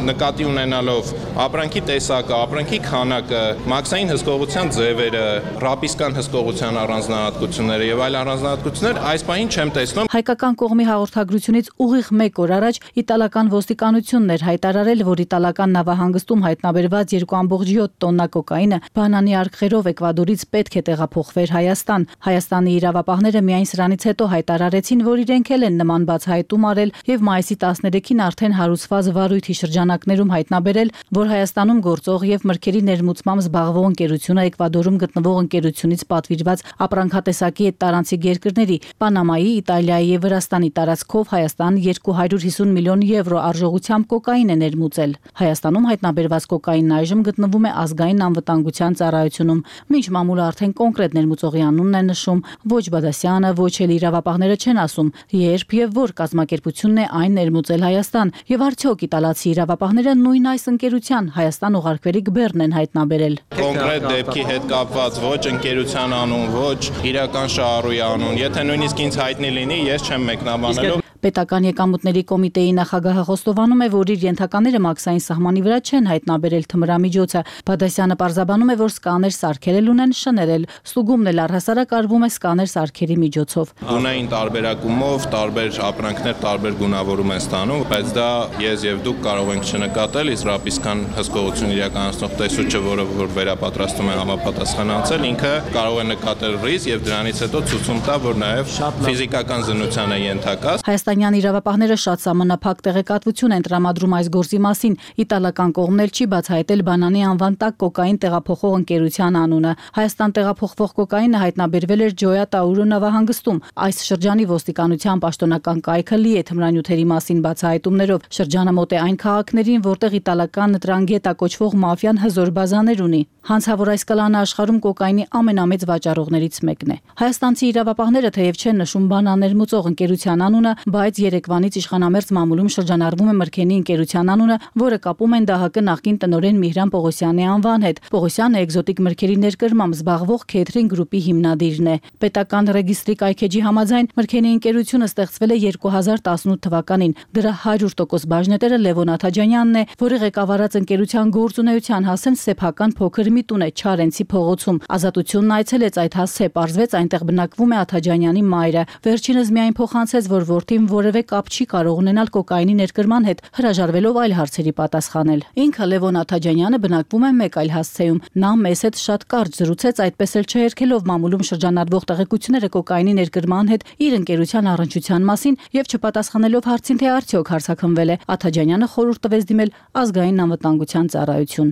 նկատի ունենալով ապրանքի տեսակը, ապրանքի քանակը, մաքսային հսկողության ձևերը, ռապիսկան հսկողության առանձնահատկությունները եւ այլ առանձնահատկություններ այս պահին չեմ տեսնում։ Հայկական կողմի հաղորդագրությունից ուղիղ մեկ օր առաջ իտալական ոստիկանությունն էր հայտարարել, որ իտալական նավահանգստում հայտնաբերված երկու կόμma յոթ տոննա կոկաինը բանանի արկղերով Էկվադորից պետք է տեղափոխվեր Հայաստան։ Հայաստանի իրավապահները միայն սրանից հետո հայտարարեցին, որ իրենք էլ են նման բացահայտում արել եւ մայիսի տասներեքին արդեն հարուցված վարույթի շրջանակներում հայտնաբերել, որ Հայաստանում գործող եւ մրգերի ներմուծմամբ զբաղվող ընկերությունը Էկվադորում գտնվող ընկերությունից պատվիրված ապրանքատեսակի այդ տարանցիկ երկրների Պանամայի, Իտալիայի եւ Վրաստանի տարածքով Հայաստան երկու հարյուր հիսուն միլիոն եվրո արժողությամբ կոկաին է ներմուծել։ Հայաստանում հայտնաբերված կոկաինն այժմ գտնվում է ազգային անվտանգության ծառայությունում, մինչ մամուլը արդեն կոնկրետ ներմուծողի անունն է նշում, ոչ Բադասյանը, ոչ էլ իրավապահները չեն ասում, երբ եւ որ կազմակերպությունն է այն ներմուծել Հայաստան, եւ արդյոք իտալացի իրավապահները նույն այս ընկերության Հայաստան ուղարկվելիք բեռն են հայտնաբերել։ Կոնկրետ դեպքի հետ կապված ոչ ընկերության անուն, ոչ իրական շահառուի անուն, եթե նույնիսկ ինձ հայտնի լինի, ես չեմ մեկնաբանելու։ Պետական եկամուտների կոմիտեի նախագահը խոստովանում է, որ իր ենթակաները մաքսային սահմանի վրա չեն հայտնաբերել թմրամիջոցը։ Բադասյանը պարզաբանում է, որ սկաներ սարքերել ունեն շներել, ստուգումն էլ առհասարակ արվում է սկաներ սարքերի միջոցով։ Գունային տարբերակումով տարբեր ապրանքներ տարբեր գունավորում են ստանում, բայց դա ես եւ դուք կարող ենք չնկատել, իսկ ռապիսկան հսկողություն իրականացնող տեսուչը, որը որ վերապատրաստում է համապատասխանացել, ինքը կարող է նկատել ռիսկ եւ դրանից հետո ցույց տա, որ նաեւ ֆիզիկական զննության է ենթակա։ Հայաստանյան իրավապահները շատ սահմանափակ տեղեկատվություն են տրամադրում այս գործի մասին։ Իտալական կողմն էլ չի բացահայտել բանանի անվան տակ կոկաին տեղափոխող ընկերության անունը։ Հայաստան տեղափոխվող կոկաինը հայտնաբերվել էր Ջոյա Տաուրո նավահանգստում։ Այս շրջանի ոստիկանության պաշտոնական կայքը լի է թմրանյութերի մասին բացահայտումներով։ Շրջանը մոտ է այն քաղաքներին, որտեղ իտալական Տրանգետա կոչվող մաֆիան հզոր բազաներ ունի։ Հանցավոր այս կլանը աշխարհում կոկաինի ամենամեծ վաճառողներից մեկն է։ Հայաստանցի իրավապահները թեև չեն նշում բանաներմուծող ընկերության անունը, բայց երեկվանից իշխանամերձ մամուլում շրջանառվում է Մրգենի ընկերության անունը, որը կապում են ԴՀԿ նախկին տնօրեն Միհրան Պողոսյանի անվան հետ։ Պողոսյանը էկզոտիկ մրգերի ներկրմամբ զբաղվող Քեթրին գրուպի հիմնադիրն է։ Պետական ռեգիստրի կայքեջի համաձայն Մրգենի ընկերությունը ստեղծվել է երկու հազար տասնութ թվականին։ Դրա հարյուր տոկոս բաժնետերը Լևոն Աթաջանյանն է, որի ղեկավարած ընկերության գործունեության հասեն սեփական փոքր մի տուն է Չարենցի փողոցում։ Ազատությունն այցելեց այդ հասցե, պարզվեց այնտեղ բնակվում է Աթաջանյանի մայրը։ Վերջինս միայն փոխանցեց, որ որդին որևէ կապ չի կարող ունենալ կոկաինի ներկրման հետ, հրաժարվելով այլ հարցերի պատասխանել։ Ինքը Լևոն Աթաջանյանը բնակվում է մեկ այլ հասցեում։ Նա մեզ հետ շատ կարճ զրուցեց, այդպես էլ չհերքելով մամուլում շրջանառվող տեղեկությունները կոկաինի ներկրման հետ իր ընկերության առնչության մասին եւ չպատասխանելով հարցին, թե արդյոք հարցաքննվել է, Աթաջանյանը խորհուրդ տվեց դիմել ազգային անվտանգության ծառայություն։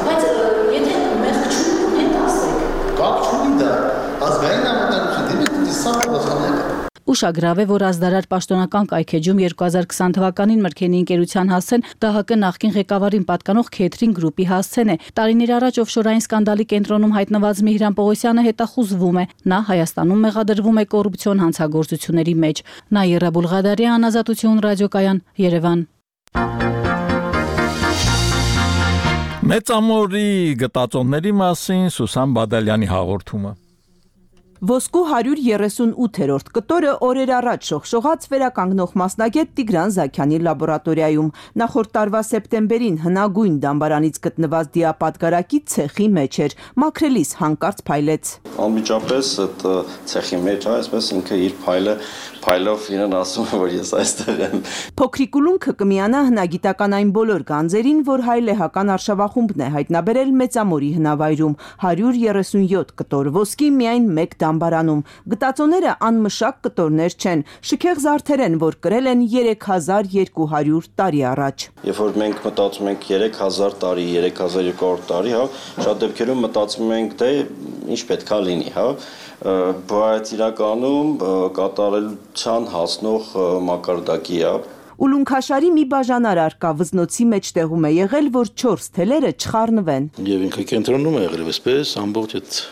Բայց եթե մեղք չունի, հետ ասեք։ Կապ չունի դա։ Ազգային անվտանգություն դիմեք, դիսա պատասխանեք։ Ուշագրավ է, որ ազդարար պաշտոնական կայքեջում երկու հազար քսան թվականին Մրգենի ընկերության հասցեն ԴՀԿ նախկին ղեկավարին պատկանող Քեթրին գրուպի հասցեն է։ Տարիներ առաջ օֆշորային սկանդալի կենտրոնում հայտնված Միհրան Պողոսյանը հետախուզվում է։ Նա Հայաստանում մեղադրվում է կոռուպցիոն հանցագործությունների մեջ։ Նաիրա Բուլղադարյան, Ազատություն ռադիոկայան, Երևան։ Մեծամորի գտածոների մասին Սուսան Բադալյանի հաղորդումը։ Ոսկու հարյուր երեսունութերորդ կտորը օրեր առաջ շողշողաց վերականգնող մասնագետ Տիգրան Զաքյանի լաբորատորիայում։ Նախորդ տարվա սեպտեմբերին հնագույն դամբարանից գտնված դիապատկարակի ցեխի մեջ էր, մաքրելիս հանկարծ փայլեց։ Անմիջապես այդ ցեխի մեջ, այսպես ինքը իր փայլը փայլով իրեն ասում է, որ ես այստեղ եմ։ Փոքրիկ ուլունքը կմիանա հնագիտական այն բոլոր գանձերին, որ հայլեհական արշավախումբն է հայտնաբերել Մեծամորի հնավայրում, հարյուր երեսունյոթ կտոր ոսկի միայն մեկ դամբարանում։ Գտածոները անմշակ կտորներ չեն, շքեղ զարդեր են, որ կրել են երեք հազար երկու հարյուր տարի առաջ։ Երբ որ մենք մտածում ենք երեք հազար տարի, երեք հազար երկու հարյուր տարի, հա, շատ դեպքերում մտածում ենք, դե ինչ պետքա լինի, հա, բայց իրականում կատարելության հասնող մակարդակի է։ Ուլունքաշարի մի բաժանար արկա վզնոցի մեջտեղում է եղել, որ չորս թելերը չխառնվեն։ Եվ ինքը կենտրոնում է եղել, այսպես ամբողջ այդ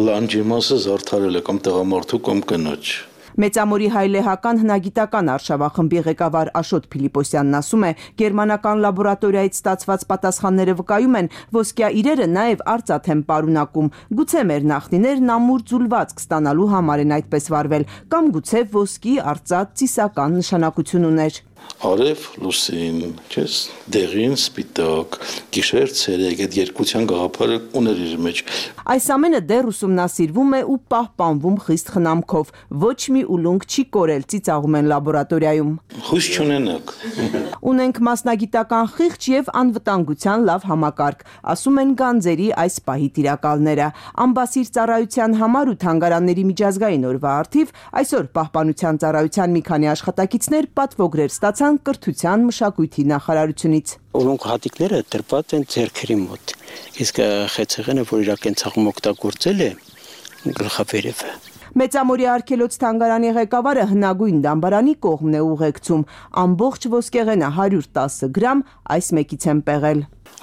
լանջի մասը զարդարել է կամ տղամարդու կամ կնոջ։ Մեծամորի հայլեհական հնագիտական արշավախմբի ղեկավար Աշոտ Փիլիպոսյանն ասում է, գերմանական լաբորատորիայից ստացված պատասխանները վկայում են, ոսկյա իրերը նաև արծաթ են պարունակում։ Գուցե մեր նախնիներն ամուր ձուլվածք ստանալու համար են այդպես վարվել, կամ գուցե ոսկի արծաթ ծիսական նշանակություն ուներ։ Արև լուսին, չես, դեղին սպիտակ, գիշեր ցերեկ, այդ երկության գաղափարը ուներ իր մեջ։ Այս ամենը դեռ ուսումնասիրվում է ու պահպանվում խիստ խնամքով։ Ոչ մի ուլունք չի կորել, ծիծաղում են լաբորատորիայում։ Հույս չունենաք։ Ունենք մասնագիտական խիղճ եւ անվտանգության լավ համակարգ, ասում են գանձերի այս պահի տիրակալները։ Ամբասիր ծառայության համար ու թանգարանների միջազգային օրվա առթիվ այսօր պահպանության ծառայության մի քանի աշխատակիցներ պատվոգրեր ստացան կրթության մշակույթի նախարարությունից։ Ուլունք հատիկները դրված են ձեռքերի մոտ, իսկ խեցեղենը, որ իր կենցաղում օգտագործել է, գլխավերևը։ Մեծամորի արգելոց թանգարանի ղեկավարը հնագույն դամբարանի կողմն է ուղեկցում։ Ամբողջ ոսկեղենը հարյուր տասը գրամ այս մեկից են պեղել։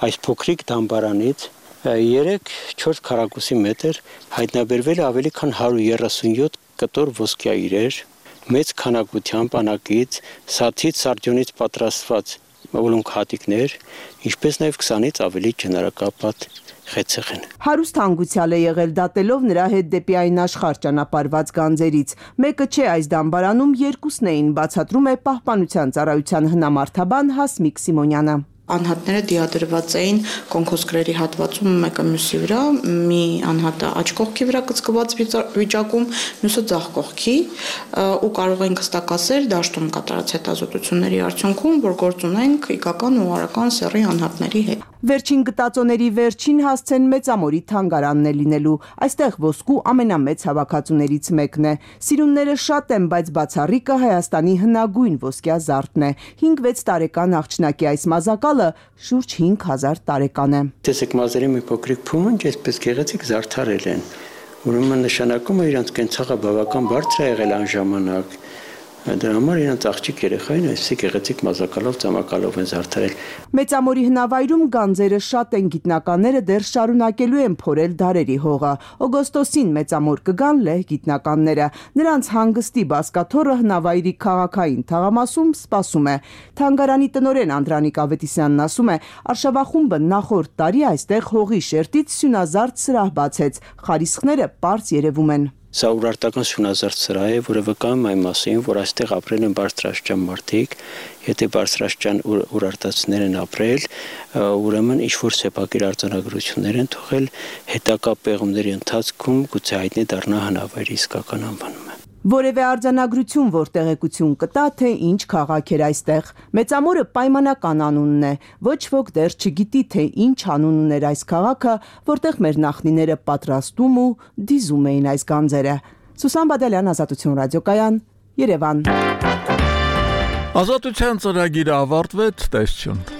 Այս փոքրիկ դամբարանից երեք-չորս քառակուսի մետր հայտնաբերվել է ավելի քան հարյուր երեսունյոթ կտոր ոսկյա իրեր, մեծ քանակությամբ անակից, սաթից, սարդյունից պատրաստված ուլունք հատիկներ, ինչպես նաև քսանից ավելի ջնարակապատ խեցեղեն։ Հարուստ հանգուցյալ է եղել դատելով նրա հետ դեպի այն աշխարհ ճանապարհված գանձերից։ Մեկը չէ այս դամբարանում երկուսն էին, բացատրում է Պահպանության ծառայության հնամարդաբան Հասմիկ Սիմոնյանը։ Անհատները դիադրված էին կոնքոսկրերի հատվածում մեկը մյուսի վրա, մի անհատը աջ կողքի վրա կծկված վիճակում, մյուսը ձախ կողքի, ու կարող ենք հստակասել դաշտում կատարած հետազոտությունների արդյունքում, որ գործ ունենք իգական ու արական սեռի անհատների հետ։ Վերջին գտածոների վերջին հասցեն Մեծամորի թանգարանն է լինելու։ Այստեղ ոսկու ամենամեծ հավաքածուներից մեկն է։ Սիրունները շատ են, բայց բացառիկը Հայաստանի հնագույն ոսկյա զարդն է։ հինգ-վեց տարեկան աղջնակի այս մազակալը շուրջ հինգ հազար տարեկան է։ Տեսեք, մազերի մի փոքրիկ փումունջ այսպես գեղեցիկ զարդարել են։ Ուրեմն նշանակում է իրանց կենցաղը բավական բարձր է եղել այն ժամանակ։ Դրա համար իրանց աղջիկ երեխային այսպիսի գեղեցիկ մազակալով ծամակալով են զարդարել։ Մեծամորի հնավայրում գանձերը շատ են, գիտնականները դեռ շարունակելու են փորել դարերի հողը։ Օգոստոսին Մեծամոր կգան լեհ գիտնականները։ Նրանց հանգստի բազկաթոռը հնավայրի քաղաքային թաղամասում սպասում է։ Թանգարանի տնօրեն Անդրանիկ Ավետիսյանն ասում է, արշավախումբը նախորդ տարի այստեղ հողի շերտից սյունազարդ սրահ բացեց։ Խարիսխները պարզ երևում են։ Սա ուրարտական սյունազարդ սրահ է, որը վկայում է այն մասին, որ այստեղ ապրել են բարձրաստիճան մարդիկ, եթե բարձրաստիճան ուրարտացիներ են ապրել, ուրեմն ինչ-որ սեփակիր արձանագրություններ են թողել, հետագա պեղումների ընթացքում գուցե հայտնի դառնա հնավայրի իսկական անվանումը։ Որևէ արձանագրություն, որ տեղեկություն կտա, թե ինչ քաղաք էր այստեղ։ Մեծամորը պայմանական անունն է։ Ոչ ոք դեռ չգիտի, թե ինչ անուն ուներ այս քաղաքը, որտեղ մեր նախնիները պատրաստում ու դիզում էին այս գանձերը։ Սուսան Բադալյան, Ազատություն ռադիոկայան, Երևան։ Ազատության ծրագիրը ավարտվեց, տեսություն։